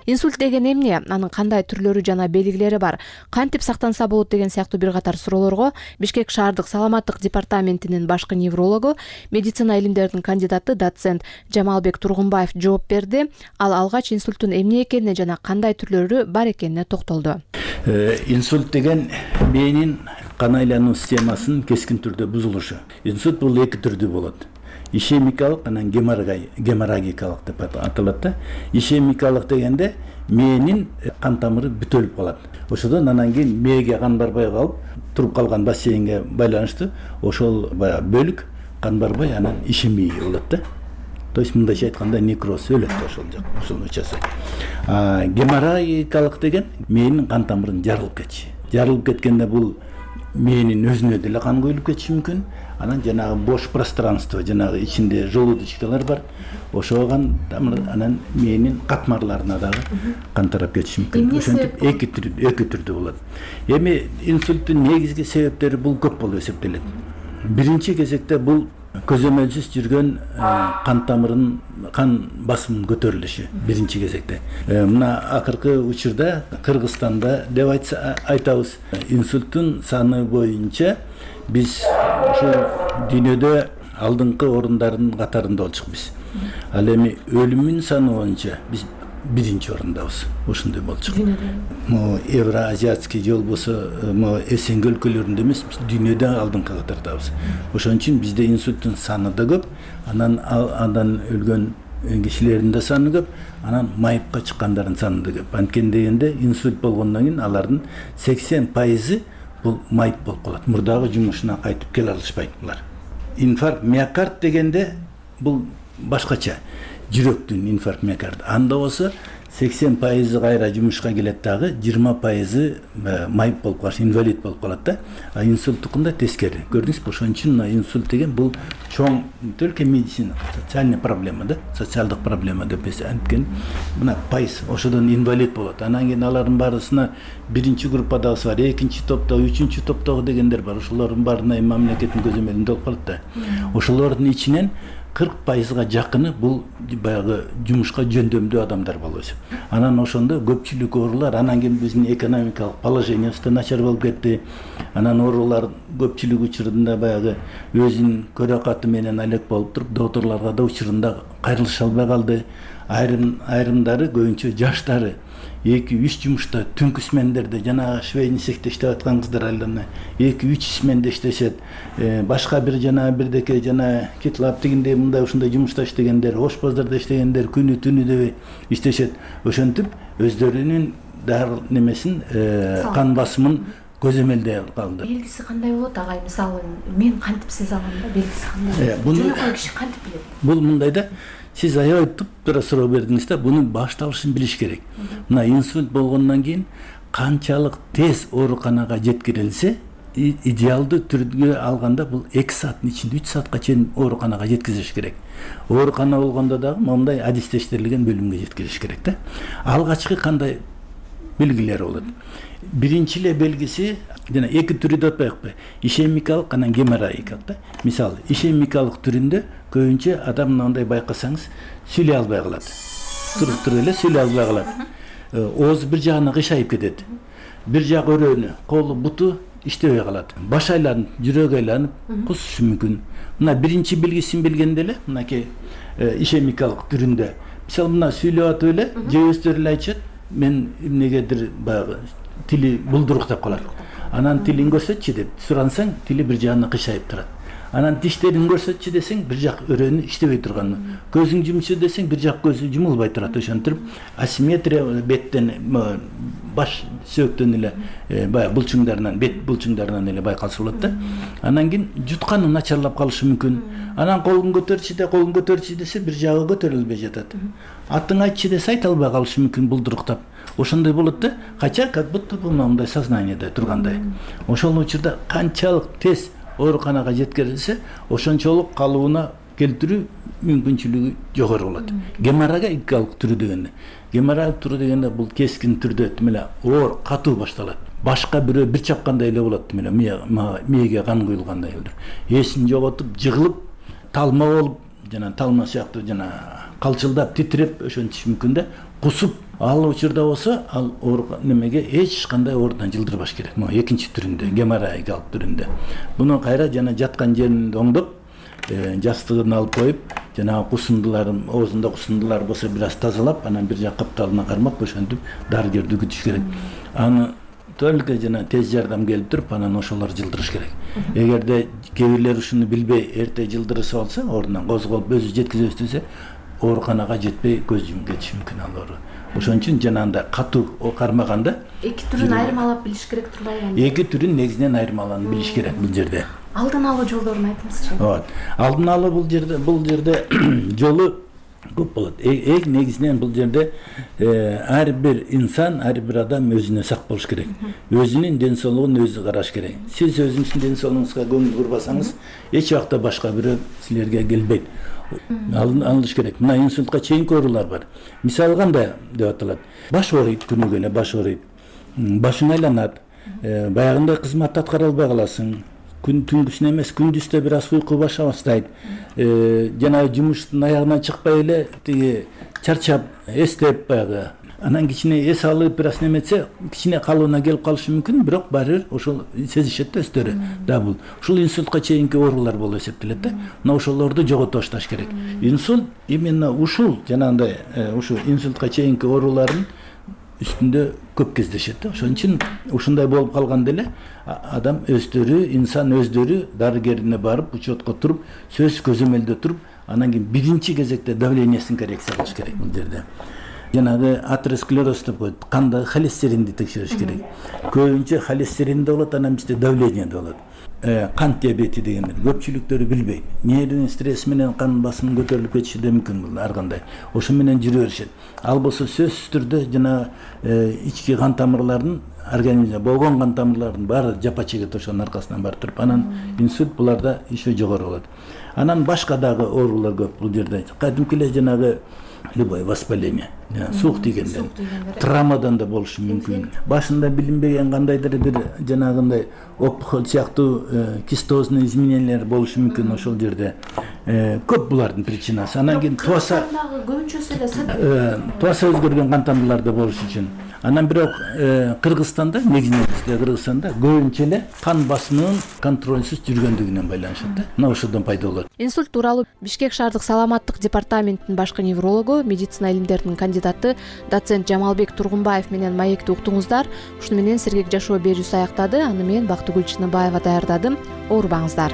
Инсульт деген эмне? Анын кандай түрлөрү жана белгилери бар? Кантип сактанса болот деген сыяктуу бир катар суроолорго Бишкек шаардык саламаттык департаментинин башкы неврологу, медицина илимдеринин кандидаты доцент Жамалбек Тургунбаев жооп берди. Ал алгач инсульттун эмне экенине жана кандай түрлөрү бар экенине токтолду. Инсульт деген мээнин кан айлануу системасынын кескин түрдө бузулушу. Инсульт бул эки түрдүү болот. Ишемикалык анан геморрагикалык деп аталат да. Ишемикалык дегенде мээнин кан тамыры бүтөлүп калат. Ошодон анан кийин мээге кан барбай калып, туруп калган бассейнге байланыштуу ошол баягы бөлүк кан барбай анан ишемия болот да. То есть мындайча айтканда некроз өлөт ошол жак, ошол учасы. А геморрагикалык деген мээнин кан тамырын жарылып кетиши. Жарылып кеткенде бул мээнин өзүнө деле кан куюлуп кетиши мүмкүн. Анан жанагы бош пространство, жанагы ичинде желудочкалар бар. Ошоган анан мээнин катмарларына дагы кан тарап кетиши мүмкүн. Ошентип эки түрдүү, эки түрдүү болот. Эми инсульттун негизги себептери бул көп болуп эсептелет. Биринчи кезекте бул көзөмөлсүз жүргөн кан тамырынын кан басымынын көтөрүлүшү биринчи кезекте. Мына акыркы учурда Кыргызстанда деп айтабыз, инсульттун саны боюнча биз ушул дүйнөдө алдыңкы орундардын катарында болчукпуз. Ал эми өлүмүн саны боюнча биз биринчи орундабыз. Ошондой болчук. Могу Евроазиатский же болбосо могу Эсен өлкөлөрүндө эмес, биз дүйнөдө алдыңкы катардабыз. Ошон үчүн бизде инсульттун саны да көп, анан андан өлгөн кишилердин да саны көп, анан майыпка чыккандардын саны да көп. Анткени дегенде инсульт болгондон кийин алардын сексен пайызы бул майып болуп калат. Мурдагы жумушуна кайтып келе алышпайт булар. Инфаркт миокард дегенде бул башкача. Жүрөктүн инфаркт миокард. Анда болсо сексен пайызы кайра жумушка келет дагы, жыйырма пайызы майып болуп калат, инвалид болуп калат да. А инсульттукунда тескери. Көрдүңүзбү? Ошон үчүн инсульт деген бул чоң только медицина, социальный проблема да, социалдык проблема деп анткени мына пайыз ошодон инвалид болот. Анан кийин алардын баарысына биринчи группадагысы бар, экинчи топтогу, үчүнчү топтогу дегендер бар. Ошолордун баарына мамлекеттин көзөмөлүндө болуп калат да. Ошолордун ичинен кырк пайызга жакыны бул баягы жумушка жөндөмдүү адамдар болуп эсеп. Анан ошондо көпчүлүк оорулар, анан кийин биздин экономикалык положениябыз да начар болуп кетти. Анан оорулар көпчүлүк учурунда баягы өзүнүн көрө каты менен алек болуп туруп, докторлорго да учурунда кайрылыша албай калды. Айрым айрымдары көбүнчө жаштары эки үч жумушта түнкү смендерде жана швейный цехте иштеп аткан кыздар айлана эки үч сменде иштешет. Башка бир жана бирдеке жана кетлап дегендей мындай ушундай жумушта иштегендер, ош базарда иштегендер күнү түнү дебей иштешет. Ошентип өздөрүнүн дары немесин кан басымын көзөмөлдөй калды. Белгиси кандай болот агай? Мисалы мен кантип сезе алам да, белгиси кандай? Жөнөкөй киши кантип билет? Бул мындай да, сиз аябай туп-туура суроо бердиңиз да, бунун башталышын билиш керек. Мына инсульт болгондон кийин канчалык тез ооруканага жеткирилсе, идеалдуу түргө алганда бул эки сааттын ичинде үч саатка чейин ооруканага жеткизиш керек. Оорукана болгондо дагы моундай адистештирилген бөлүмгө жеткизиш керек да. Алгачкы кандай белгилери болот? Биринчи эле белгиси жана эки түрү деп атпайбы? Ишемикалык анан геморроикалык да. Мисалы, ишемикалык түрүндө көбүнчө адам мындай байкасаңыз сүйлөй албай калат. Туруп туруп эле сүйлөй албай калат. Оозу бир жагына кыйшайып кетет. Бир жак өрөөнү, колу, буту иштебей калат. Баш айланып, жүрөгү айланып, кусушу мүмкүн. Мына биринчи белгисин билгенде эле, мынакей ишемикалык түрүндө. Мисалы, мына сүйлөп атып эле, же өздөрү эле айтышат, мен эмнегедир баягы тили булдуруктап калат. Анан тилин көрсөтчү деп сурансаң, тили бир жагына кыйшайып турат. Анан тиштерин көрсөтчү десең, бир жак өрөөнү иштебей турган. Көзүң жумчу десең, бир жак көзү жумулбай турат. Ошентип асимметрия беттен, баш сөөктөн эле баягы булчуңдарынан, бет булчуңдарынан эле байкалса болот да. Анан кийин жутканы начарлап калышы мүмкүн. Анан колун көтөрчү де, колун көтөрчү десе, бир жагы көтөрүлбөй жатат. Атын айтчы десе, айта албай калышы мүмкүн булдуруктап. Ошондой болот да. Кача как будто бул мындай сознаниеде тургандай. Ошол учурда канчалык тез ооруканага жеткирилсе, ошончолук калыбына келтирүү мүмкүнчүлүгү жогору болот. Геморрагикалык түрү дегенде, геморрагик түрү дегенде бул кескин түрдө эле оор, катуу башталат. Башка бирөө бир чапкандай эле болот, эле мээге кан куюлгандай эле. Эсин жоготуп, жыгылып, талма болуп, жана талма сыяктуу жана калчылдап, титиреп ошентиш мүмкүн да. Кусуп, ал учурда болсо, ал немеге эч кандай оорудан жылдырбаш керек. Могу экинчи түрүндө, геморрагикалык түрүндө. Муну кайра жана жаткан жерин оңдоп, жастыгын алып коюп, жана кусундуларын, оозунда кусундулар болсо бир аз тазалап, анан бир жак капталына кармап, ошентип дарыгерди күтүш керек. Аны только жана тез жардам келип туруп, анан ошолор жылдырыш керек. Эгерде кээ бирлер ушуну билбей эрте жылдырып алса, ордунан козголуп өзү жеткизе өстүрсө, ооруканага жетпей көз жумуп кетиши мүмкүн ал оору. Ошон үчүн жанагындай катуу кармаганда эки түрүн айырмалап билиш керек турбайбы? Эки түрүн негизинен айырмаланып билиш керек бул жерде. Алдын алуу жолдорун айтыңызчы. Ооба. Алдын алуу бул жерде бул жерде жолу көп болот. Эң негизинен бул жерде ар бир инсан, ар бир адам өзүнө сак болуш керек. Өзүнүн ден соолугун өзү караш керек. Сиз өзүңүздүн ден соолугуңузга көңүл бурбасаңыз, эч убакта башка бирөө силерге келбейт. Алыныш керек. Мына инсультка чейинки оорулар бар. Мисалы кандай деп аталат? Баш ооруйт, күнүгө эле баш ооруйт. Башың айланат. Баягындай кызматты аткара албай каласың. Күн түнгүсүн эмес, күндүздө бир аз уйку баша баштайт. Жана жумуштун аягынан чыкпай эле тиги чарчап, эстеп баягы. Анан кичине эс алып бир аз неметсе, кичине калыбына келип калышы мүмкүн, бирок баары ошол сезишет да өздөрү. Да бул ушул инсультка чейинки оорулар болуп эсептелет да. Мына ошолорду жогото башташ керек. Инсульт именно ушул жанагындай ушу инсультка чейинки оорулардын үстүндө көп кездешет да. Ошон үчүн ушундай болуп калганда эле адам өздөрү, инсан өздөрү дарыгерине барып, учетко туруп, сөз көзөмөлдө туруп, анан кийин биринчи кезекте давлениесин коррекция кылыш керек бул жерде. Жанагы атеросклероз деп коет, кандагы холестеринди текшериш керек. Көбүнчө холестеринде болот, анан бизде давлениеде болот. Кант диабети дегендер көпчүлүктөрү билбейт. Нервный стресс менен кан басымы көтөрүлүп кетиши да мүмкүн бул ар кандай. Ошо менен жүрө беришет. Ал болсо сөзсүз түрдө жана ички кан тамырлардын организмде болгон кан тамырлардын баары жапа чегет ошонун аркасынан барып туруп, анан инсульт буларда еще жогору болот. Анан башка дагы оорулар көп бул жерде. Кадимки эле жанагы любое воспаление, суук тийгенден, травмадан да болушу мүмкүн. Башында билинбеген кандайдыр бир жанагындай опухоль сыяктуу кистозный изменениялар болушу мүмкүн ошол жерде. Көп булардын причинасы. Анан кийин туаса көбүнчөсү эле туаса өзгөргөн кан тамырлар да болушу үчүн. Анан бирок Кыргызстанда, негизинен бизде Кыргызстанда көбүнчө эле кан басымынын контрольсуз жүргөндүгүнөн байланышат да. Мына ошодон пайда болот. Инсульт тууралуу Бишкек шаардык саламаттык департаментинин башкы неврологу, медицина илимдеринин кандидаты доцент Жамалбек Тургунбаев менен маекти уктуңуздар. Ушуну менен сергек жашоо берүүсү аяктады. Аны мен Бактыгүл Чыныбаева даярдадым. Оорубаңыздар.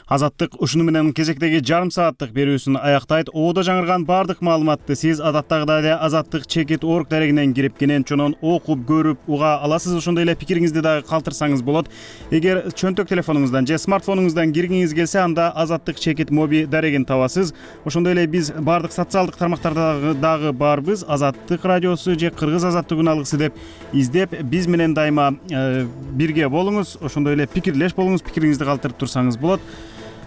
Азаттык ушуну менен кезектеги жарым сааттык берүүсүн аяктайт. Оодо жаңырган баардык маалыматты сиз адаттагыдай эле азаттык чекит орг дарегинен кирип кенен чонон окуп, көрүп, уга аласыз. Ошондой эле пикириңизди дагы калтырсаңыз болот. Эгер чөнтөк телефонуңуздан же смартфонуңуздан киргиңиз келсе, анда азаттык чекит моби дарегин табасыз. Ошондой эле биз баардык социалдык тармактарда дагы барбыз. Азаттык радиосу же Кыргыз азаттык үн алгысы деп издеп, биз менен дайыма э, бирге болуңуз. Ошондой эле пикирлеш болуңуз, пикириңизди калтырып турсаңыз болот.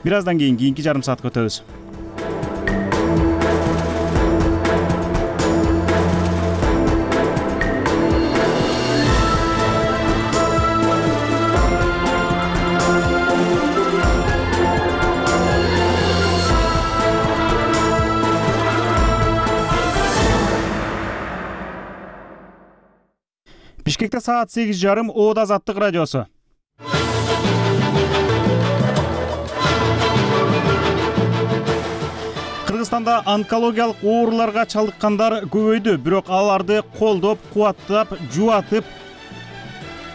Бир аздан кийин кийинки жарым саатка өтөбүз. Бишкекте саат сегиз жарым, Оодо азаттык радиосу. Кыргызстанда онкологиялык ооруларга чалдыккандар көбөйдү, бирок аларды колдоп, кубаттап, жубатып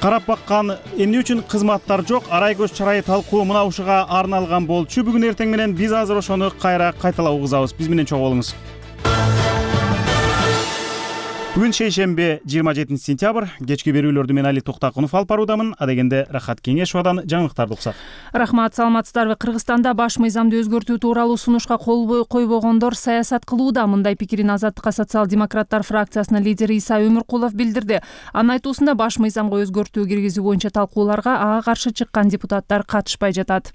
карап баккан эмне үчүн кызматтар жок? Арай көз чарайы талкуу мына ушуга арналган болчу. Бүгүн эртең менен биз азыр ошону кайра кайталап угузабыз. Биз менен чогуу болуңуз. Бүгүн шейшемби жыйырма жетинчи сентябрь. Кечки берүүлөрдү мен Али Токтакунов алып баруудамын. Адегенде Рахат Кеңешовадан жаңылыктарды уксак. Рахмат, саламатсыздарбы? Кыргызстанда баш мыйзамды өзгөртүү тууралуу сунушка кол койбогондор саясат кылууда. Мындай пикирин Азаттыкка социал-демократтар фракциясынын лидери Иса Өмүркулов билдирди. Анын айтуусунда баш мыйзамга өзгөртүү киргизүү боюнча талкууларга ага каршы чыккан депутаттар катышпай жатат.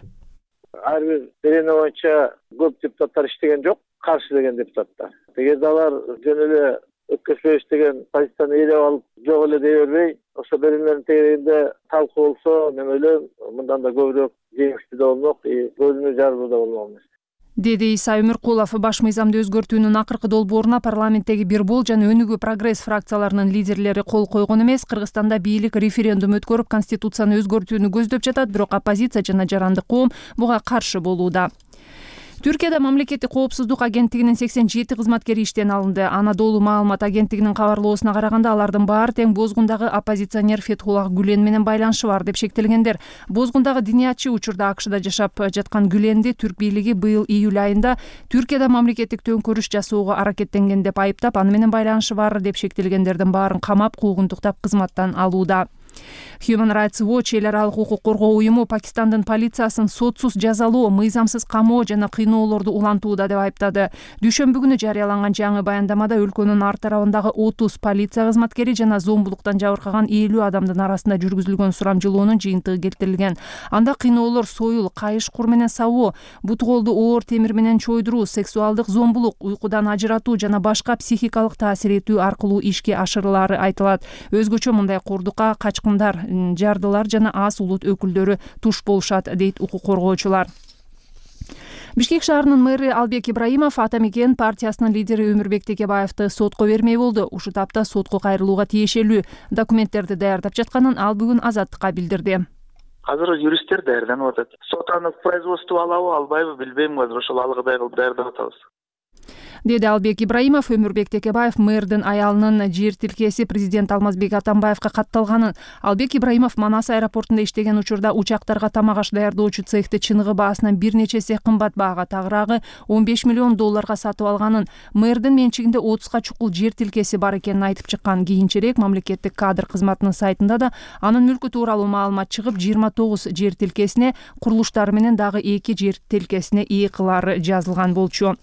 Ар бир берене боюнча көп депутаттар иштеген жок, каршы деген депутаттар. Эгерде алар жөн эле өткөзбөйбүз деген позицияны ээлеп алып жок эле дей бербей, ошо беренелердин тегерегинде талкуу болсо, мен ойлойм, мындан да көбүрөөк жеңиштүү да болмок, көзүнү жаруу да болмок. Деди Иса Өмүркулов. Баш мыйзамды өзгөртүүнүн акыркы долбооруна парламенттеги Бир Бол жана Өнүгүү Прогресс фракцияларынын лидерлери кол койгон эмес. Кыргызстанда бийлик референдум өткөрүп, конституцияны өзгөртүүнү көздөп жатат, бирок оппозиция жана жарандык коом буга каршы болууда. Түркияда мамлекеттик коопсуздук агенттигинин сексен жети кызматкери иштен алынды. Анадолу маалымат агенттигинин кабарлоосуна караганда, алардын баары тең Бозгундагы оппозиционер Фетхуллах Гүлен менен байланышы бар деп шектелгендер. Бозгундагы диниятчы учурда АКШда жашап жаткан Гүленди түрк бийлиги быйыл июль айында Түркияда мамлекеттик төңкөрүш жасоого аракеттенген деп айыптап, аны менен байланышы бар деп шектелгендердин баарын камап, куугунтуктап кызматтан алууда. Human Rights Watch эл аралык укук коргоо уюму Пакистандын полициясын сотсуз жазалоо, мыйзамсыз камоо жана кыйноолорду улантууда деп айыптады. Дүйшөмбү күнү жарыяланган жаңы баяндамада өлкөнүн ар тарабындагы отуз полиция кызматкери жана зомбулуктан жабыркаган элүү адамдын арасында жүргүзүлгөн сурамжылоонун жыйынтыгы келтирилген. Анда кыйноолор союл, кайыш кур менен сабоо, бут колду оор темир менен чойдуруу, сексуалдык зомбулук, уйкудан ажыратуу жана башка психикалык таасир этүү аркылуу ишке ашырылары айтылат. Өзгөчө мындай курдукка качкындар, жардылар жана аз улут өкүлдөрү туш болушат, дейт укук коргоочулар. Бишкек шаарынын мэрі Албек Ибраимов Ата Мекен партиясынын лидери Өмүрбек Текебаевди сотко бермей болду. Ушул тапта сотко кайрылууга тиешелүү документтерди даярдап жатканын ал бүгүн Азаттыкка билдирди. Азыр юристтер даярданып атат. Сот аны в производство алабы, албайбы билбейм, азыр ошол алгыдай кылып даярдап атабыз. Деди Албек Ибраимов. Өмүрбек Текебаев мэрдин аялынын жер тилкеси президент Алмазбек Атамбаевга катталганын, Албек Ибраимов Манас аэропортунда иштеген учурда учактарга тамак аш даярдоочу цехти чыныгы баасынан бир нече эсе кымбат баага, тагыраагы он беш миллион долларга сатып алганын, мэрдин менчигинде отузга чукул жер тилкеси бар экенин айтып чыккан. Кийинчерээк мамлекеттик кадр кызматынын сайтында да анын мүлкү тууралуу маалымат чыгып, жыйырма тогуз жер тилкесине, курулуштары менен дагы эки жер тилкесине ээ кылары жазылган болчу.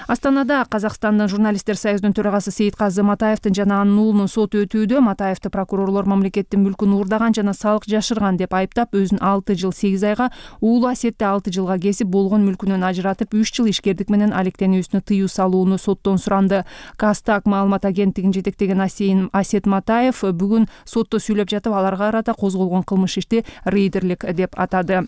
Астанада Казакстандын журналисттер союзунун төрагасы Сейитказы Матаевдин жана анын уулунун соту өтүүдө. Матаевди прокурорлор мамлекеттин мүлкүн уурдаган жана салык жашырган деп айыптап, өзүн алты жыл сегиз айга, уулу Асетти алты жылга кесип, болгон мүлкүнөн ажыратып, үч жыл ишкердик менен алектенүүсүнө тыюу салууну соттон суранды. Кастак маалымат агенттигин жетектеген Асет Матаев бүгүн сотто сүйлөп жатып, аларга карата козголгон кылмыш ишти рейдерлик деп атады.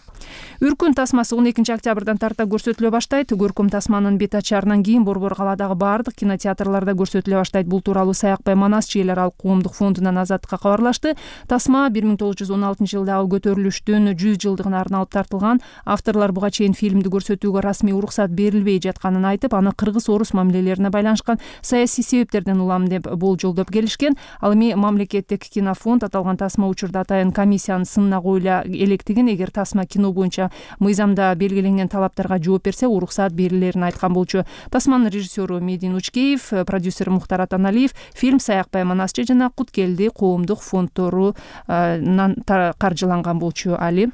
Үркүн тасмасы он экинчи октябрдан тарта көрсөтүлө баштайт. Көркөм тасманын бет ачаарынан кийин Борбор калаадагы баардык кинотеатрларда көрсөтүлө баштайт. Бул тууралуу Саякбай Манас Чиелер Алык коомдук фондунан Азаттыкка кабарлашты. Тасма бир миң тогуз жүз он алтынчы жылдагы көтөрүлүштүн жүз жылдыгына арналып тартылган. Авторлор буга чейин фильмди көрсөтүүгө расмий уруксат берилбей жатканын айтып, аны кыргыз-орус мамилелерине байланышкан саясий себептерден улам деп болжолдоп келишкен. Ал эми мамлекеттик кинофонд аталган тасма учурда атайын комиссиянын сынына коюла электигин, эгер тасма кино боюнча мыйзамда белгиленген талаптарга жооп берсе, уруксат берилерин айткан болчу. Тасманын режиссеру Медин Учкеев, продюсери Мухтар Атаналиев фильм Саякбай Манасчы жана Куткелди коомдук фонддорунан каржыланган болчу. Али.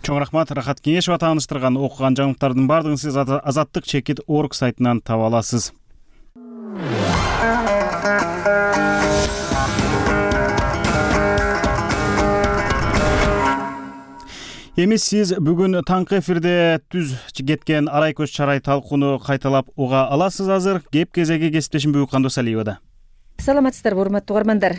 Чоң рахмат. Рахат Кеңешова тааныштырган окуган жаңылыктардын баардыгын сиз азаттык чекит орг сайтынан таба аласыз. Эми сиз бүгүн таңкы эфирде түз кеткен арай көз чарай талкууну кайталап уга аласыз. Азыр кеп кезеги кесиптешим Бүгүн Кандосалиевада. Саламатсыздарбы, урматтуу угармандар.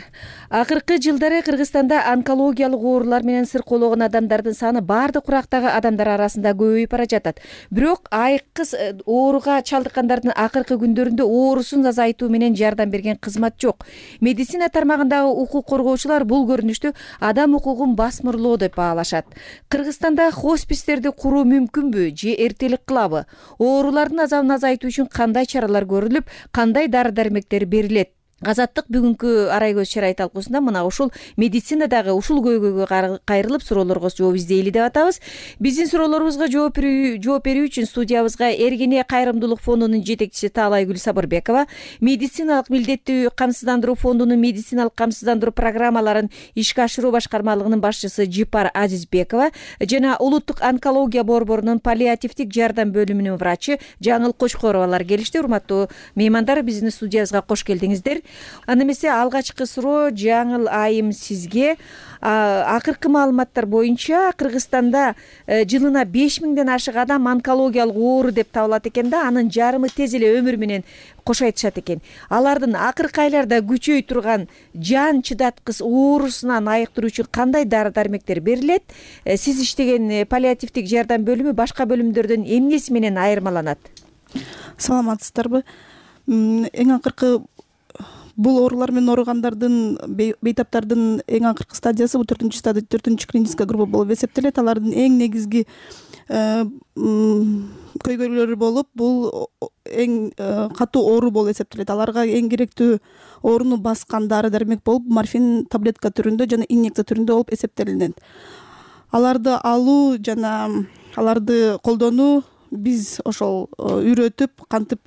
Акыркы жылдары Кыргызстанда онкологиялык оорулар менен сыркоологон адамдардын саны баардык курактагы адамдар арасында көбөйүп бара жатат. Бирок айкыз ооруга чалдыккандардын акыркы күндөрүндө оорусун азайтуу менен жардам берген кызмат жок. Медицина тармагындагы укук коргоочулар бул көрүнүштү адам укугун басмырлоо деп баалашат. Кыргызстанда хоспистерди куруу мүмкүнбү же эртелик кылабы? Оорулардын азабын азайтуу үчүн кандай чаралар көрүлүп, кандай дары-дармектер берилет? Азаттык бүгүнкү арай көз чарай талкуусунда мына ушул медицинадагы ушул көйгөйгө кайрылып суроолорго жооп издейли деп атабыз. Биздин суроолорубузга жооп берүү үчүн студиябызга Эргене кайрымдуулук фондунун жетекчиси Таалайгүл Сабырбекова, медициналык милдеттүү камсыздандыруу фондунун медициналык камсыздандыруу программаларын ишке ашыруу башкармалыгынын башчысы Жипар Азизбекова жана улуттук онкология борборунун паллиативдик жардам бөлүмүнүн врачы Жаңыл Кочкоровалар келишти. Урматтуу меймандар, биздин студиябызга кош келдиңиздер. Анда эмесе алгачкы суроо Жаңыл айым сизге. Акыркы маалыматтар боюнча Кыргызстанда жылына беш миңден ашык адам онкологиялык оору деп табылат экен да, анын жарымы тез эле өмүр менен кошайтышат экен. Алардын акыркы айларда күчөй турган жан чыдаткыс оорусунан айыктыруу үчүн кандай дары-дармектер берилет? Сиз иштеген паллиативдик жардам бөлүмү башка бөлүмдөрдөн эмнеси менен айырмаланат? Саламатсыздарбы? Эң акыркы бул оорулар менен ооругандардын, бейтаптардын эң акыркы стадиясы бул төртүнчү стадия, төртүнчү клиническая группа болуп эсептелет. Алардын эң негизги көйгөйлөрү болуп, бул эң катуу оору болуп эсептелет. Аларга эң керектүү ооруну баскан дары-дармек болуп морфин таблетка түрүндө жана инъекция түрүндө болуп эсептелинет. Аларды алуу жана аларды колдонуу биз ошол үйрөтүп, кантип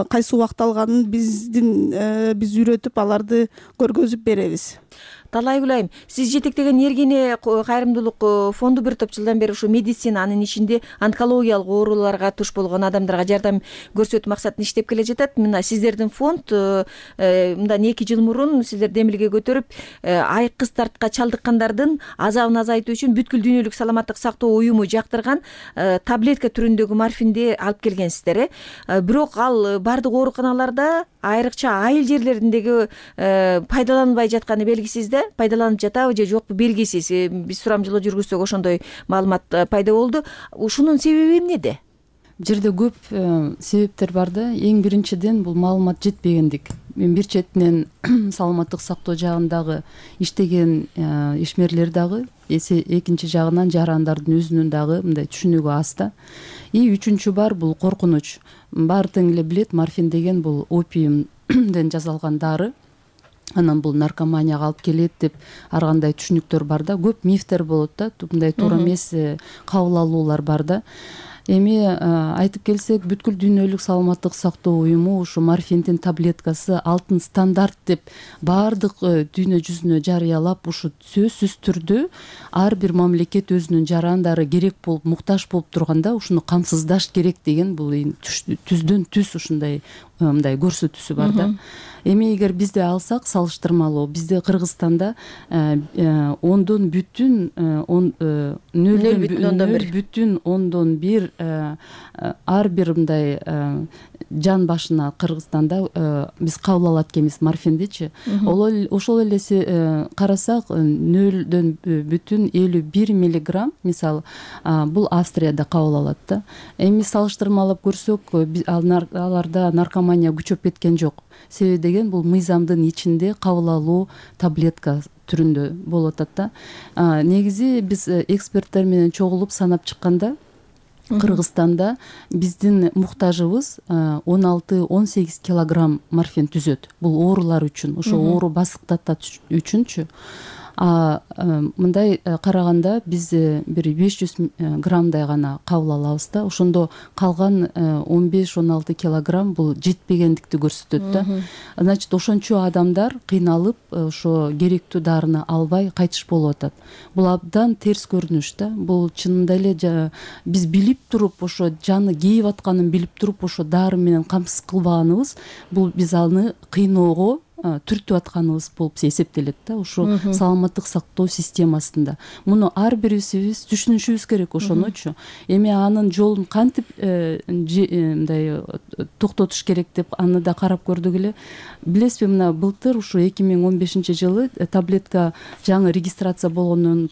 кайсы убакта алганын биздин биз үйрөтүп аларды көргөзүп беребиз. Таалайгүл айым, сиз жетектеген Эргене кайрымдуулук фонду бир топ жылдан бери ушу медицина, анын ичинде онкологиялык ооруларга туш болгон адамдарга жардам көрсөтүү максатында иштеп келе жатат. Мына сиздердин фонд мындан эки жыл мурун сиздер демилге көтөрүп, айкыз тартка чалдыккандардын азабын азайтуу үчүн бүткүл дүйнөлүк саламаттык сактоо уюму жактырган таблетка түрүндөгү морфинди алып келгенсиздер. Бирок ал бардык ооруканаларда, айрыкча айыл жерлериндеги пайдаланылбай жатканы белгисиз да, пайдаланып жатабы же жокпу белгисиз. Биз сурамжылоо жүргүзсөк ошондой маалымат пайда болду. Ушунун себеби эмнеде? Бул жерде көп себептер бар да. Эң биринчиден бул маалымат жетпегендик. Мен бир четинен саламаттык сактоо жагындагы иштеген ишмерлер дагы, экинчи жагынан жарандардын өзүнүн дагы мындай түшүнүгү аз да. И үчүнчү бар бул коркунуч. Баары тең эле билет, морфин деген бул опиумден жасалган дары. Анан бул наркоманияга алып келет деп ар кандай түшүнүктөр бар да. Көп мифтер болот да. Мындай туура эмес кабыл алуулар бар да. Эми айтып келсек, бүткүл дүйнөлүк саламаттык сактоо уюму ушу морфиндин таблеткасы алтын стандарт деп баардык дүйнө жүзүнө жарыялап, ушу сөзсүз түрдө ар бир мамлекет өзүнүн жарандары керек болуп, муктаж болуп турганда ушуну камсыздаш керек деген бул түздөн түз ушундай мындай көрсөтүүсү бар да. Эми эгер бизде алсак салыштырмалуу, бизде Кыргызстанда ондон бүтүн нөл бүтүн ондон бир ар бир мындай жан башына Кыргызстанда биз кабыл алат экенбиз морфиндичи. Ошол эле карасак нөлдөн бүтүн элүү бир миллиграмм мисалы бул Австрияда кабыл алат да. Эми салыштырмалап көрсөк аларда наркомания күчөп кеткен жок. Себеби деген бул мыйзамдын ичинде кабыл алуу таблетка түрүндө болуп атат да. Негизи биз эксперттер менен чогулуп санап чыкканда Кыргызстанда биздин муктажыбыз он алты он сегиз килограмм морфин түзөт. Бул оорулар үчүн, ошо оору басыктатат үчүнчү. А мындай караганда биз бир беш жүз граммдай гана кабыл алабыз да. Ошондо калган он беш он алты килограмм бул жетпегендикти көрсөтөт да. Значит, ошончо адамдар кыйналып ошо керектүү дарыны албай кайтыш болуп атат. Бул абдан терс көрүнүш да. Бул чынында эле биз билип туруп ошо жаны кейип атканын билип туруп ошо дары менен камсыз кылбаганыбыз бул биз аны кыйноого түртүп атканыбыз болуп эсептелет да. Ошо саламаттык сактоо системасында муну ар бирибиз түшүнүшүбүз керек ошонучу. Эми анын жолун кантип мындай токтотуш керек деп аны да карап көрдүк эле. Билесизби, мына былтыр ушу эки миң он бешинчи жылы таблетка жаңы регистрация болгондон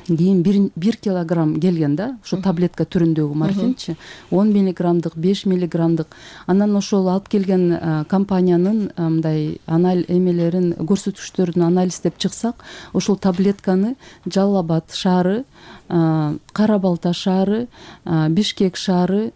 кийин бир килограмм келген да, ошо таблетка түрүндөгү морфинчи, он миллиграммдык, беш миллиграммдык. Анан ошол алып келген компаниянын мындай анализ эмелерин, көрсөтүштөрүн анализдеп чыксак, ошол таблетканы Жалал Абад шаары, Кара Балта шаары, Бишкек шаары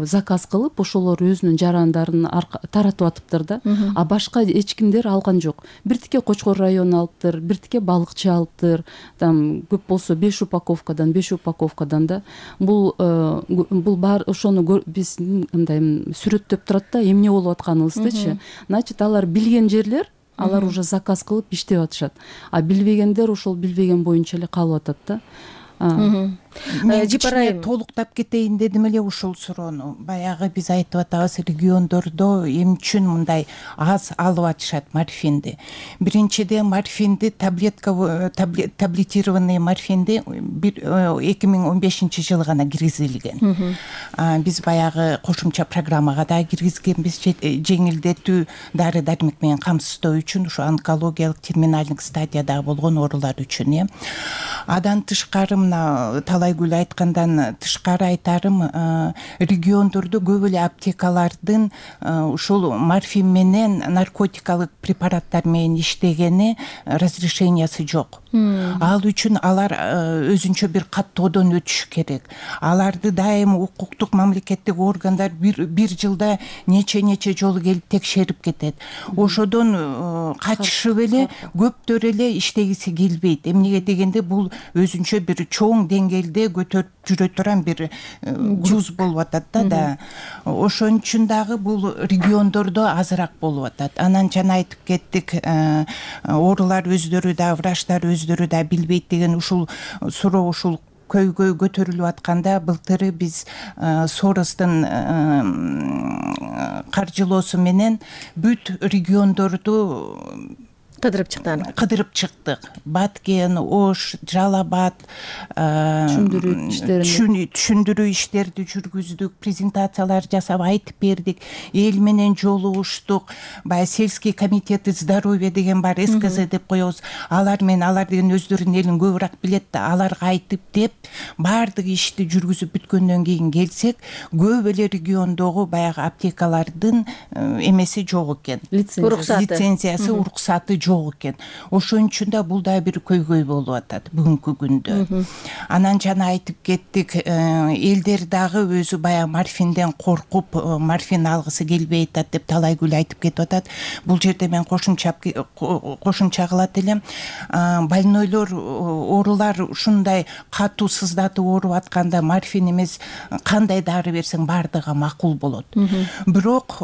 заказ кылып, ошолор өзүнүн жарандарын таратып атыптыр да. А башка эч кимдер алган жок. Биртике Кочкор району алыптыр, биртике балыкчы алыптыр. Там көп болсо беш упаковкадан, беш упаковкадан да. Бул бул бар ошону биз мындай сүрөттөп турат да, эмне болуп атканыбыздычы. Значит, алар билген жерлер, алар уже заказ кылып иштеп атышат. А билбегендер ошол билбеген боюнча эле калып атат да. Мен кичине толуктап кетейин дедим эле ушул суроону. Баягы биз айтып атабыз, региондордо эмне үчүн мындай аз алып атышат морфинди. Биринчиден морфинди таблетка таблетированный морфинди эки миң он бешинчи жылы гана киргизилген. Биз баягы кошумча программага да киргизгенбиз, жеңилдетүү дары дармек менен камсыздоо үчүн, ушу онкологиялык терминалдык стадияда болгон оорулар үчүн. Адан тышкары мына Талайгүл айткандан тышкары айтарым, региондордо көп эле аптекалардын ушул морфин менен наркотикалык препараттар менен иштегени разрешениясы жок. Ал үчүн алар өзүнчө бир каттоодон өтүш керек. Аларды дайыма укуктук мамлекеттик органдар бир бир жылда нече нече жолу келип текшерип кетет. Ошодон качышып эле көптөр эле иштегиси келбейт. Эмнеге дегенде бул өзүнчө бир чоң деңгээлде көтөрүп жүрө турган бир груз болуп атат да. Ошон үчүн дагы бул региондордо азыраак болуп атат. Анан жана айтып кеттик, оорулар өздөрү да, врачтар өздөрү да билбейт деген ушул суроо ушул көйгөй көтөрүлүп атканда, былтыры биз Соростун каржылоосу менен бүт региондорду кыдырып чыктан кыдырып чыктык. Баткен, Ош, Жалал Абад түшүндүрүү иштерин түшүндүрүү иштерди жүргүздүк, презентациялар жасап айтып бердик, эл менен жолугуштук. Баягы сельский комитети здоровья деген бар, эс ка зэ деп коебуз. Алар менен алар деген өздөрүнүн элин көбүрөөк билет да, аларга айтып деп баардык ишти жүргүзүп бүткөндөн кийин келсек, көп эле региондогу баягы аптекалардын эмеси жок экен. Лицензиясы, уруксаты жок экен. Ошон үчүн да бул да бир көйгөй болуп атат бүгүнкү күндө. Анан жана айтып кеттик, элдер дагы өзү баягы морфинден коркуп, морфин алгысы келбей атат деп Талайгүл айтып кетип атат. Бул жерде мен кошумча кошумча кылат элем. Больнойлор, оорулар ушундай катуу сыздатып ооруп атканда морфин эмес кандай дары берсең бардыгы макул болот. Бирок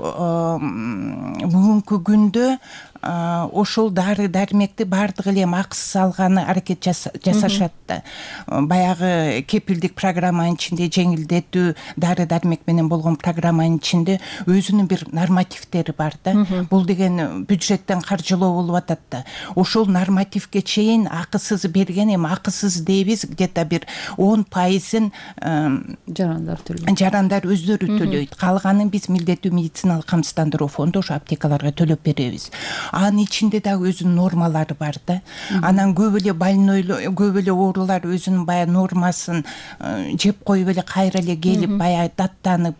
бүгүнкү күндө ошол дары дармекти баардыгы эле эми акысыз алганы аракет жасашат да. Баягы кепилдик программанын ичинде жеңилдетүү дары дармек менен болгон программанын ичинде өзүнүн бир нормативдери бар да. Бул деген бюджеттен каржылоо болуп атат да. Ошол нормативге чейин акысыз берген, эми акысыз дейбиз где-то бир он пайызын жарандар төлөйт. Жарандар өздөрү төлөйт. Калганын биз милдеттүү медициналык камсыздандыруу фонду ошо аптекаларга төлөп беребиз. Анын ичинде дагы өзүнүн нормалары бар да. Анан көп эле больной, көп эле оорулар өзүнүн баягы нормасын жеп коюп эле кайра эле келип баягы даттанып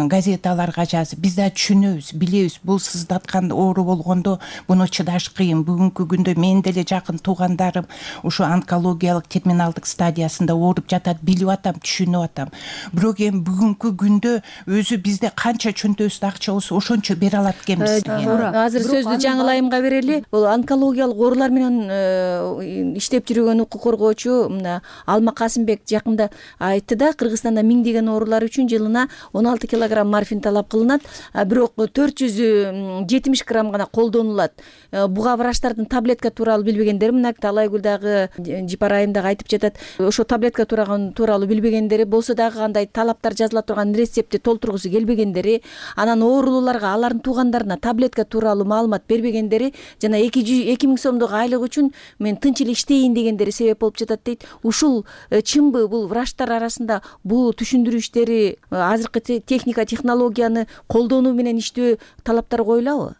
газеталарга жазып, биз да түшүнөбүз, билебиз. Бул сыздаткан оору болгондо буну чыдаш кыйын. Бүгүнкү күндө менин деле жакын туугандарым ушу онкологиялык терминалдык стадиясында ооруп жатат, билип атам, түшүнүп атам. Бирок эми бүгүнкү күндө өзү бизде канча чөнтөбүздө акча болсо ошончо бере алат экенбиз. Азыр сөздү жаңылайымга берели. Бул онкологиялык оорулар менен иштеп жүргөн укук коргоочу мына Алма Касымбек жакында айтты да, Кыргызстанда миңдеген оорулар үчүн жылына он алты килограмм морфин талап кылынат, бирок төрт жүз жетимиш грамм гана колдонулат. Буга врачтардын таблетка тууралуу билбегендери, мына Талайгүл дагы Жипар айым дагы айтып жатат. Ошо таблетка тууралуу билбегендери, болсо дагы кандай талаптар жазыла турган рецептти толтургусу келбегендери, анан оорулууларга, алардын туугандарына таблетка тууралуу маалымат бербегендери жана эки миң сомдук айлык үчүн мен тынч эле иштейин дегендери себеп болуп жатат дейт. Ушул чынбы? Бул врачтар арасында бул түшүндүрүү иштери, азыркы техника, технологияны колдонуу менен иштөө талаптары коюлабы?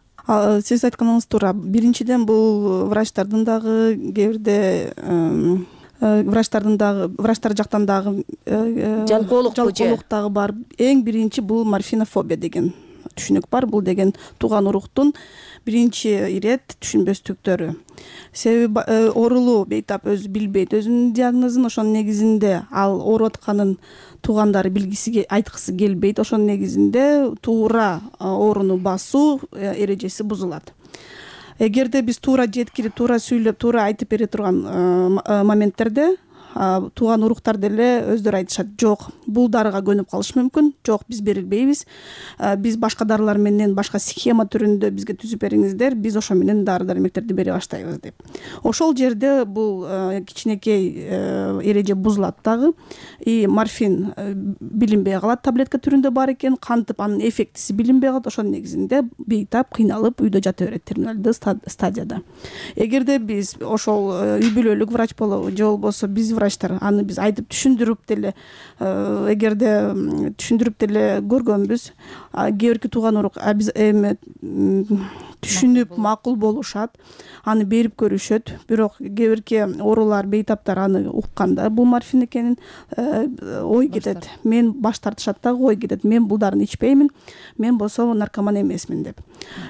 Сиз айтканыңыз туура. Биринчиден бул врачтардын дагы кээ бирде врачтардын дагы врачтар жактан дагы жалкоолук дагы бар. Эң биринчи бул морфинофобия деген түшүнүк бар. Бул деген тууган уруктун биринчи ирет түшүнбөстүктөрү. Себеби оорулуу бейтап өзү билбейт өзүнүн диагнозун, ошонун негизинде ал ооруп атканын туугандары билгиси, айткысы келбейт. Ошонун негизинде туура ооруну басуу эрежеси бузулат. Эгерде биз туура жеткирип, туура сүйлөп, туура айтып бере турган моменттерде тууган уруктар деле өздөрү айтышат, жок, бул дарыга көнүп калыш мүмкүн, жок, биз берилбейбиз, биз башка дарылар менен, башка схема түрүндө бизге түзүп бериңиздер, биз ошо менен дары дармектерди бере баштайбыз деп. Ошол жерде бул кичинекей эреже бузулат дагы. И морфин билинбей калат, таблетка түрүндө бар экен, кантип анын эффектиси билинбей калат. Ошонун негизинде бейтап кыйналып үйдө жата берет терминалдуу стадияда. Эгерде биз ошол үй бүлөлүк врач болобу же болбосо биз врачтар аны биз айтып түшүндүрүп деле, эгерде түшүндүрүп деле көргөнбүз, кээ бирки тууган урук биз эми түшүнүп макул болушат, аны берип көрүшөт. Бирок кээ бирки оорулар, бейтаптар аны укканда бул морфин экенин ой кетет. Мен баш тартышат дагы, ой кетет. Мен бул дарыны ичпеймин, мен болсо наркоман эмесмин деп.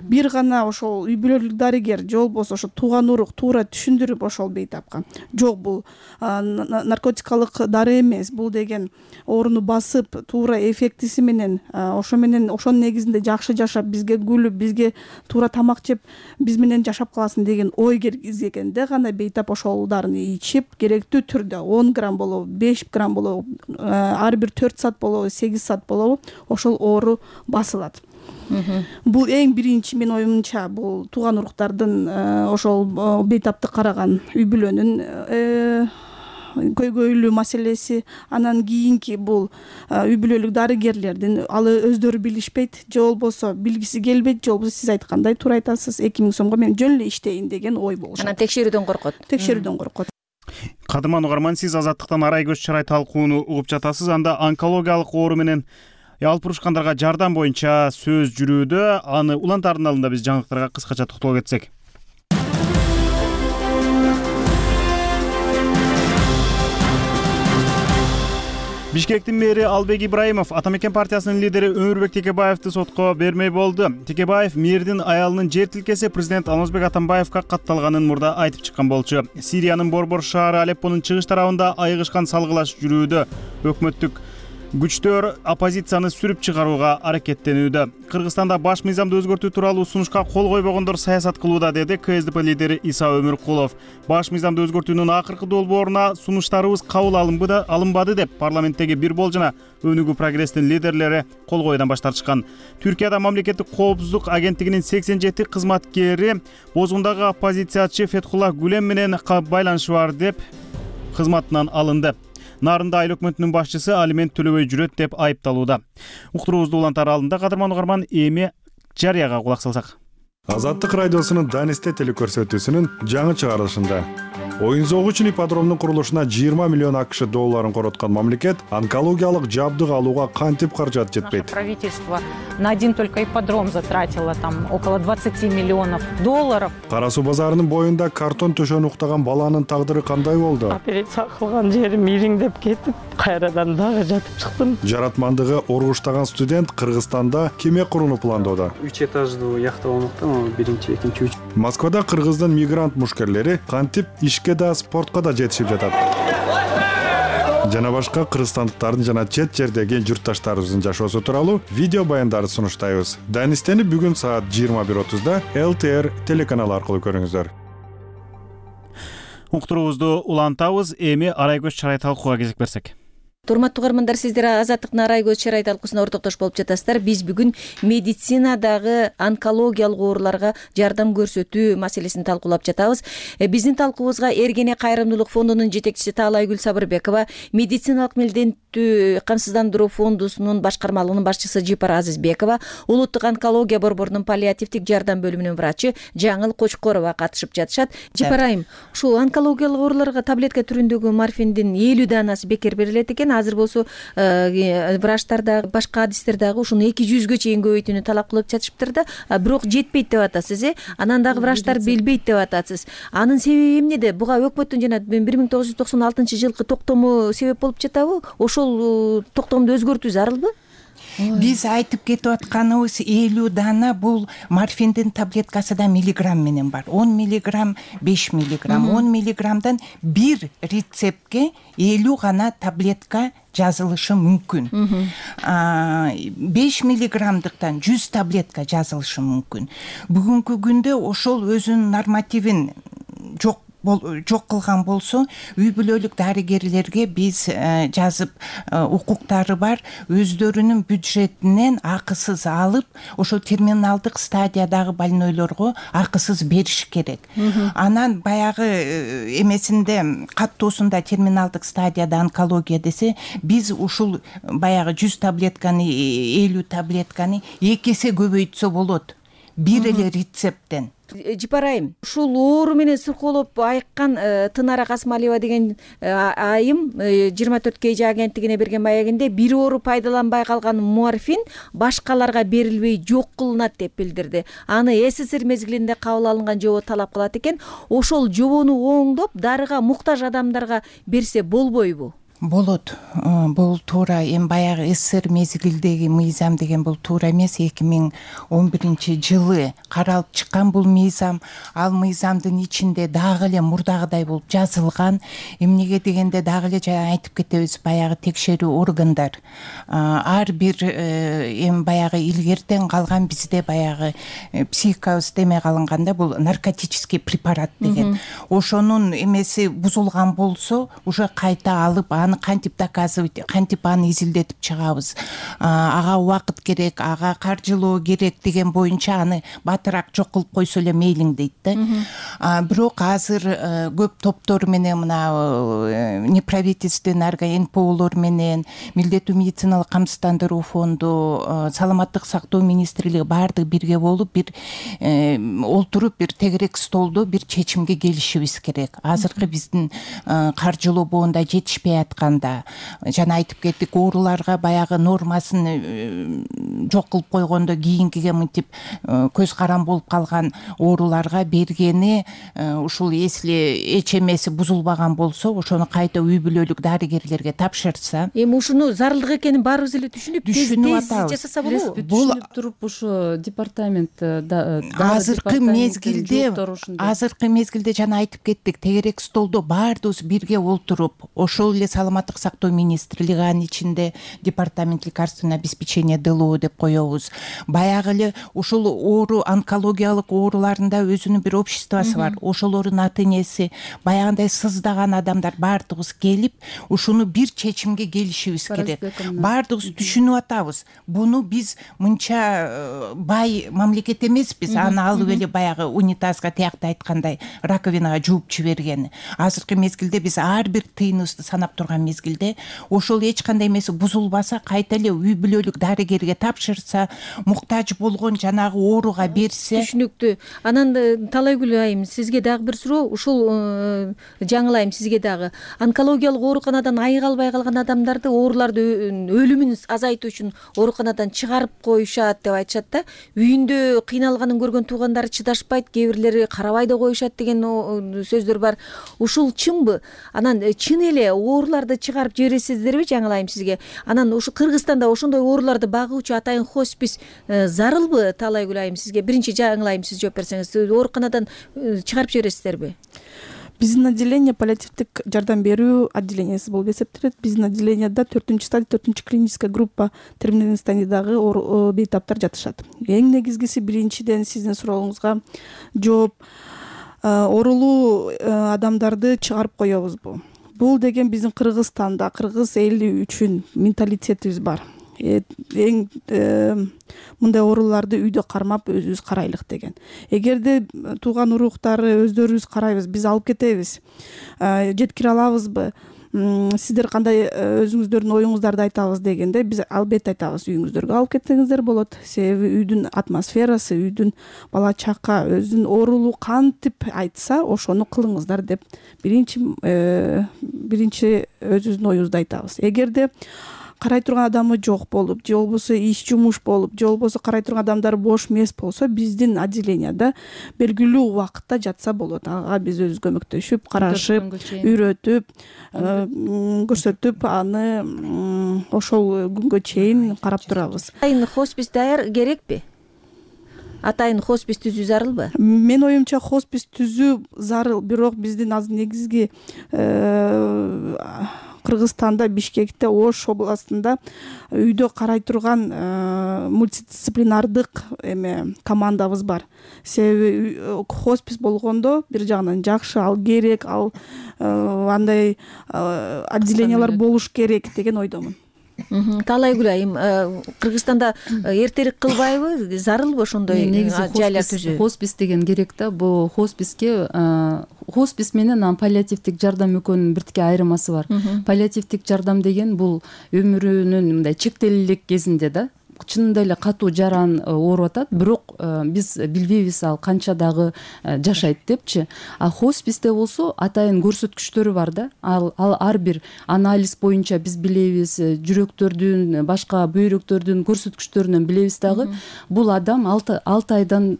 Бир гана ошол үй бүлөлүк дарыгер же болбосо ошо тууган урук туура түшүндүрүп ошол бейтапка, жок, бул наркотикалык дары эмес, бул деген ооруну басып, туура эффектиси менен, ошо менен ошонун негизинде жакшы жашап, бизге күлүп, бизге туура тамак жеп, биз менен жашап каласың деген ой киргизгенде гана бейтап ошол дарыны ичип, керектүү түрдө он грамм болобу, беш грамм болобу, ар бир төрт саат болобу, сегиз саат болобу, ошол оору басылат. Бул эң биринчи менин оюмча, бул тууган уруктардын ошол бейтапты караган үй бүлөнүн көйгөйлүү маселеси. Анан кийинки бул үй бүлөлүк дарыгерлердин, ал өздөрү билишпейт же болбосо билгиси келбейт, же болбосо сиз айткандай туура айтасыз, эки миң сомго мен жөн эле иштейин деген ой болушат. Анан текшерүүдөн коркот. Текшерүүдөн коркот. Кадырман угарман, сиз Азаттыктан Арай көз чарай талкууну угуп жатасыз. Анда онкологиялык оору менен алып урушкандарга жардам боюнча сөз жүрүүдө. Аны улантардын алдында биз жаңылыктарга кыскача токтолуп кетсек. Бишкектин мэри Албек Ибраимов Ата мекен партиясынын лидери Өмүрбек Текебаевди сотко бермей болду. Текебаев мэрдин аялынын жер тилкеси президент Алмазбек Атамбаевга катталганын мурда айтып чыккан болчу. Сириянын борбор шаары Алеппонун чыгыш тарабында айыгышкан салгылаш жүрүүдө. Өкмөттүк Күчтөр оппозицияны сүрүп чыгарууга аракеттенүүдө. Кыргызстанда баш мыйзамды өзгөртүү тууралуу сунушка кол койбогондор саясат кылууда, деди ка эс дэ пэ лидери Иса Өмүркулов. Баш мыйзамды өзгөртүүнүн акыркы долбооруна сунуштарыбыз кабыл алынбады деп парламенттеги бир бол жана Өнүгүү прогресстин лидерлери кол коюудан баш тартышкан. Түркияда мамлекеттик коопсуздук агенттигинин сексен жети кызматкери бозгундагы оппозициячы Фетхулла Гүлен менен байланышы бар деп кызматынан алынды. Нарында айыл өкмөтүнүн башчысы алимент төлөбөй жүрөт деп айыпталууда. Уктуруубузду улант аралында кадырман угарман эми жарыяга кулак салсак. Азаттык радиосунун Данисте телекөрсөтүүсүнүн жаңы чыгарылышында оюн зоогу үчүн ипподромдун курулушуна жыйырма миллион акш долларын короткон мамлекет онкологиялык жабдык алууга кантип каражат жетпейт? Правительство на один только ипподром затратило там около двадцать миллионов долларов. Кара суу базарынын боюнда картон төшөнү уктаган баланын тагдыры кандай болду? Операция кылган жерим ириңдеп кетип, кайрадан дагы жатып чыктым. Жаратмандыгы оргуштаган студент Кыргызстанда кеме курууну пландоодо. үч этаждуу яхта болмокта, биринчи, экинчи, үч. Москвада Кыргыздын мигрант мушкерлери кантип ишке да спортко да жетишип жатат. Жана башка кыргызстандыктардын жана чет жердеги журтташтарыбыздын жашоосу тууралуу видео баяндарды сунуштайбыз. Данистени бүгүн саат жыйырма бир отузда эл тэ эр телеканалы аркылуу көрүңүздөр. Уктуруубузду улантабыз, эми Арайкөз Чарай талкууга кезек берсек. Урматтуу угармандар, сиздер Азаттыктын Арайкөз Чарай талкуусуна ортоктош болуп жатасыздар. Биз бүгүн медицинадагы онкологиялык ооруларга жардам көрсөтүү маселесин талкуулап жатабыз. Биздин талкуубузга Эргене кайрымдуулук фондунун жетекчиси Таалайгүл Сабырбекова, медициналык милдеттүү камсыздандыруу фондусунун башкармалыгынын башчысы Жипар Азизбекова, улуттук онкология борборунун паллиативдик жардам бөлүмүнүн врачы Жаңыл Кочкорова катышып жатышат. Жипар айым, ушул онкологиялык ооруларга таблетка түрүндөгү морфиндин элүү данасы бекер берилет экен. Азыр болсо врачтар дагы башка адистер дагы ушуну эки жүзгө чейин көбөйтүүнү талап кылып жатышыптыр да, бирок жетпейт деп атасыз, э? Анан дагы врачтар билбейт деп атасыз. Анын себеби эмнеде? Буга өкмөттүн жана бир миң тогуз жүз токсон алтынчы жылкы токтому себеп болуп жатабы? Ошол токтомду өзгөртүү зарылбы? Биз айтып кетип атканыбыз элүү дана бул морфиндин таблеткасы да миллиграмм менен бар. он миллиграмм, беш миллиграмм, он миллиграммдан бир рецептке элүү гана таблетка жазылышы мүмкүн. беш миллиграммдыктан жүз таблетка жазылышы мүмкүн. Бүгүнкү күндө ошол өзүнүн нормативин жок жок кылган болсо, үй бүлөлүк дарыгерлерге биз жазып укуктары бар, өздөрүнүн бюджетинен акысыз алып, ошол терминалдык стадиядагы больнойлорго акысыз бериш керек. Анан баягы эмесинде каттоосунда терминалдык стадияда онкология десе, биз ушул баягы жүз таблетканы, элүү таблетканы эки эсе көбөйтсө болот. Бир эле рецепттен. Жипар айым, ушул оору менен сыркоолоп айыккан Тынара Касымалиева деген айым жыйырма төрт кей жи агенттигине берген маегинде бир оору пайдаланбай калган морфин башкаларга берилбей жок кылынат деп билдирди. Аны эс эс эр мезгилинде кабыл алынган жобо талап кылат экен. Ошол жобону оңдоп, дарыга муктаж адамдарга берсе болбойбу? Болот. Бул туура. Эми баягы эс эс эр мезгилдеги мыйзам деген бул туура эмес. эки миң он биринчи жылы каралып чыккан бул мыйзам. Ал мыйзамдын ичинде дагы эле мурдагыдай болуп жазылган. Эмнеге дегенде дагы эле жана айтып кетебиз, баягы текшерүү органдар ар бир эми баягы илгертен калган бизде баягы психикабыз демек алынганда бул наркотический препарат деген. Ошонун эмеси бузулган болсо, уже кайта алып аны кантип доказывать, кантип аны изилдетип чыгабыз, ага убакыт керек, ага каржылоо керек деген боюнча аны батыраак жок кылып койсо эле мейлиң дейт да. Бирок азыр көп топтор менен, мына неправительственный эн пэ олор менен, милдеттүү медициналык камсыздандыруу фонду, саламаттык сактоо министрлиги баардыгы бирге болуп, бир олтуруп, бир тегерек столдо бир чечимге келишибиз керек. Азыркы биздин каржылоо боюнда жетишпей атканда, жана айтып кеттик, ооруларга баягы нормасын жок кылып койгондо кийинкиге мынтип көз карам болуп калган ооруларга бергени, ушул если эч эмеси бузулбаган болсо, ошону кайта үй бүлөлүк дарыгерлерге тапшырса. Эми ушуну зарылдык экенин баарыбыз эле түшүнүп, тез жасаса болобу? Бул түшүнүп туруп ушу департамент азыркы мезгилде, азыркы мезгилде жана айтып кеттик, тегерек столдо баардыгыбыз бирге олтуруп, ошол эле саламаттык сактоо министрлиги, анын ичинде департамент лекарственного обеспечения ДЛО деп коебуз. Баягы эле ушул оору, онкологиялык ооруларында өзүнүн бир обществосу бар. Ошолордун ата энеси, баягындай сыздаган адамдар баардыгыбыз келип, ушуну бир чечимге келишибиз керек. Баардыгыбыз түшүнүп атабыз. Буну биз мынча бай мамлекет эмеспиз. Аны алып эле баягы унитазга, тиякта айткандай, раковинага жууп жибергени. Азыркы мезгилде биз ар бир тыйыныбызды санап турган мезгилде ошол эч кандай эмеси бузулбаса, кайта эле үй бүлөлүк дарыгерге тапшырса, муктаж болгон жанагы ооруга берсе. Түшүнүктүү. Анан Талайгүл айым, сизге дагы бир суроо. Ушул жаңылайм сизге дагы. Онкологиялык ооруканадан айыга албай калган адамдарды, ооруларды өлүмүн азайтуу үчүн ооруканадан чыгарып коюшат деп айтышат да. Үйүндө кыйналганын көргөн туугандары чыдашпайт, кээ бирлери карабай да коюшат деген сөздөр бар. Ушул чынбы? Анан чын эле ооруларды чыгарып жибересиздерби, жаңылайм сизге? Анан ушу Кыргызстанда ошондой ооруларды багуучу атайын хоспис зарылбы, Талайгүл айым сизге? Биринчи жаңылайм сиз жооп берсеңиз, ооруканадан чыгарып жибересиздерби? Биздин отделение паллиативдик жардам берүү отделениясы болуп эсептелет. Биздин отделенияда төртүнчү стадия, төртүнчү клиническая группа терминалдык стадиядагы бейтаптар жатышат. Эң негизгиси, биринчиден сиздин сурооңузга жооп, оорулуу адамдарды чыгарып коебузбу? Бул деген биздин Кыргызстанда, кыргыз эли үчүн менталитетибиз бар. Эң мындай ооруларды үйдө кармап өзүбүз карайлык деген. Эгерде тууган уруктары өздөрүбүз карайбыз, биз алып кетебиз, жеткире алабызбы? Сиздер кандай өзүңүздөрдүн оюңуздарды айтабыз дегенде, биз албетте айтабыз, үйүңүздөргө алып кетсеңиздер болот. Себеби үйдүн атмосферасы, үйдүн бала чака өзүнүн оорулуу кантип айтса, ошону кылыңыздар деп биринчи биринчи өзүбүздүн оюбузду айтабыз. Эгерде карай турган адамы жок болуп, же болбосо иш жумуш болуп, же болбосо карай турган адамдар бош эмес болсо, биздин отделенияда белгилүү убакытта жатса болот. Ага биз өзүбүз көмөктөшүп, карашып, үйрөтүп, көрсөтүп, аны ошол күнгө чейин карап турабыз. Атайын хоспис даяр керекпи? Атайын хоспис түзүү зарылбы? Мен оюмча хоспис түзүү зарыл, бирок биздин азыр негизги Кыргызстанда, Бишкекте, Ош областында үйдө карай турган мультидисциплинардык эме командабыз бар. Себеби хоспис болгондо бир жагынан жакшы, ал керек, ал андай отделениялар болуш керек деген ойдомун. Талайгүл айым, Кыргызстанда эртерээк кылбайбы, зарылбы ошондой жайлар түзүү? Хоспис деген керек да. Бул хосписке хоспис менен паллиативдик жардам экөөнүн биртике айырмасы бар. Паллиативдик жардам деген бул өмүрүнүн мындай чектелүү элек кезинде да, чынында эле катуу жаран ооруп атат, бирок биз билбейбиз ал канча дагы жашайт депчи. А хосписте болсо атайын көрсөткүчтөрү бар да. Ал ар бир анализ боюнча биз билебиз, жүрөктөрдүн, башка бөйрөктөрдүн көрсөткүчтөрүнөн билебиз дагы. Бул адам алты айдан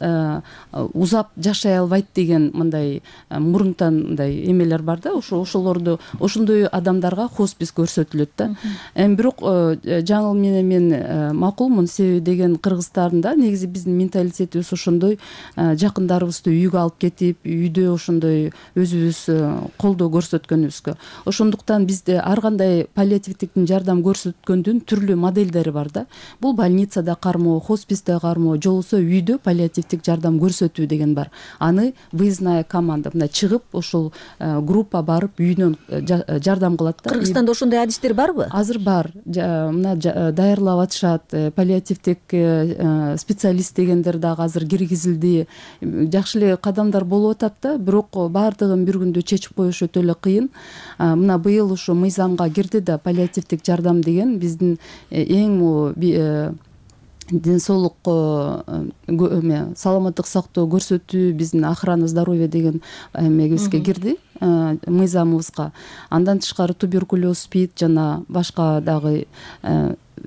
узап жашай албайт деген мындай мурунтан мындай эмелер бар да. Ошолорду, ошондой адамдарга хоспис көрсөтүлөт да. Эми бирок жаңыл менен мен макул себеби деген Кыргызстанда негизи биздин менталитетибиз ошондой, жакындарыбызды үйгө алып кетип, үйдө ошондой өзүбүз колдоо көрсөткөнүбүзгө. Ошондуктан бизде ар кандай паллиативдик жардам көрсөткөндүн түрлүү модельдери бар да. Бул больницада кармоо, хосписте кармоо, же болбосо үйдө паллиативдик жардам көрсөтүү деген бар. Аны выездная команда мындай чыгып, ошол группа барып үйүнөн жардам кылат да. Кыргызстанда ошондой адистер барбы? Азыр бар. Мына даярлап атышат. Паллиативдик специалист дегендер дагы азыр киргизилди. Жакшы эле кадамдар болуп атат да, бирок баардыгын бир күндө чечип коюш өтө эле кыйын. Мына быйыл ушу мыйзамга кирди да паллиативдик жардам деген биздин эң ден соолук саламаттык сактоо көрсөтүү, биздин охрана здоровья деген эмебизге кирди, мыйзамыбызга. Андан тышкары туберкулез, спид жана башка дагы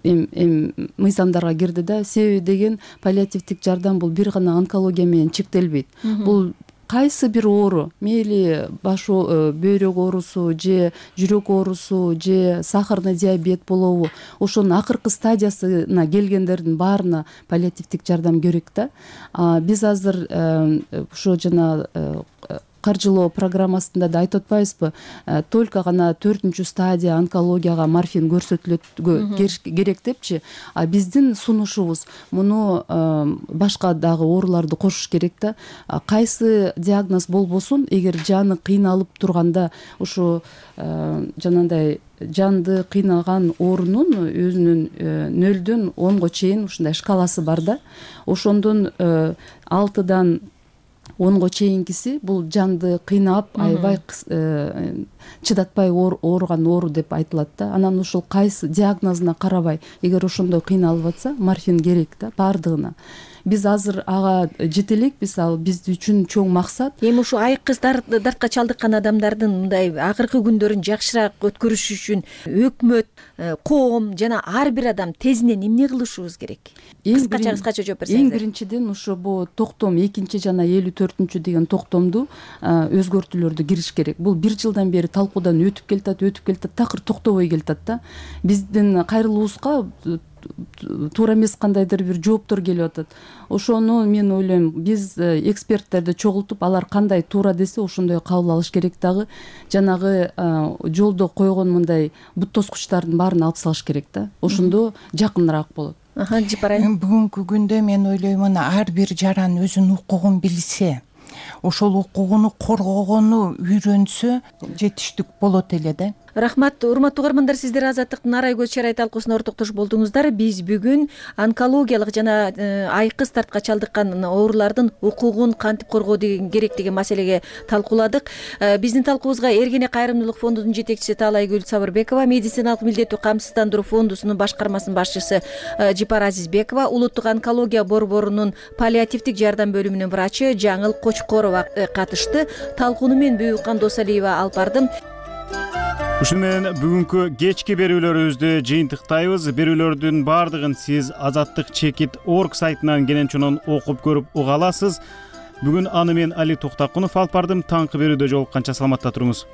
эм мыйзамдарга кирди да. Себеби деген паллиативдик жардам бул бир гана онкология менен чектелбейт. Бул кайсы бир оору, мейли баш бөйрөк оорусу, же жүрөк оорусу, же сахарный диабет болобу, ошонун акыркы стадиясына келгендердин баарына паллиативдик жардам керек да. Биз азыр ошо жана каржылоо программасында да айтып атпайбызбы, только гана төртүнчү стадия онкологияга морфин көрсөтүлөт керек депчи. А биздин сунушубуз муну башка дагы ооруларды кошуш керек да. Кайсы диагноз болбосун, эгер жаны кыйналып турганда ушу жанагындай жанды кыйнаган оорунун өзүнүн нөлдөн онго чейин ушундай шкаласы бар да. Ошондон алтыдан онго чейинкиси бул жанды кыйнап, аябай чыдатпай ооруган оору деп айтылат да. Анан ушул кайсы диагнозуна карабай, эгер ошондой кыйналып атса, морфин керек да баардыгына. Биз азыр ага жете элекпиз, ал биз үчүн чоң максат. Эми ушу айкыз дартка чалдыккан адамдардын мындай акыркы күндөрүн жакшыраак өткөрүш үчүн өкмөт, коом жана ар бир адам тезинен эмне кылышыбыз керек? Кыскача кыскача жооп берсеңиз. Эң биринчиден ушу бу токтом экинчи жана элүү төртүнчү деген токтомду өзгөртүүлөрдү кириш керек. Бул бир жылдан бери талкуудан өтүп келатат, өтүп келатат, такыр токтобой келатат да. Биздин кайрылуубузга туура эмес кандайдыр бир жооптор келип атат. Ошону мен ойлойм, биз эксперттерди чогултуп, алар кандай туура десе ошондой кабыл алыш керек дагы. Жанагы жолдо койгон мындай бут тоскучтардын баарын алып салыш керек да. Ошондо жакыныраак болот. Бүгүнкү күндө мен ойлоймун, ар бир жаран өзүнүн укугун билсе, ошол укугуну коргогону үйрөнсө жетиштик болот эле да. Рахмат, урматтуу угармандар, сиздер Азаттыктын Арай көз чарай талкуусуна ортоктош болдуңуздар. Биз бүгүн онкологиялык жана айкыз дартка чалдыккан оорулардын укугун кантип коргоо деген керек деген маселеге талкууладык. Биздин талкуубузга Эргене кайрымдуулук фондунун жетекчиси Таалайгүл Сабырбекова, медициналык милдеттүү камсыздандыруу фондусунун башкармасынын башчысы Жипар Азизбекова, улуттук онкология борборунун паллиативдик жардам бөлүмүнүн врачы Жаңыл Кочкорова катышты. Талкууну мен Бүйүккан Досалиева алып бардым. Ушуну менен бүгүнкү кечки берүүлөрүбүздү жыйынтыктайбыз. Берүүлөрдүн баардыгын сиз азаттык чекит точка орг сайтынан кенен окуп көрүп уга аласыз. Бүгүн аны мен Али Токтакунов алып бардым. Таңкы берүүдө жолукканча саламатта туруңуз.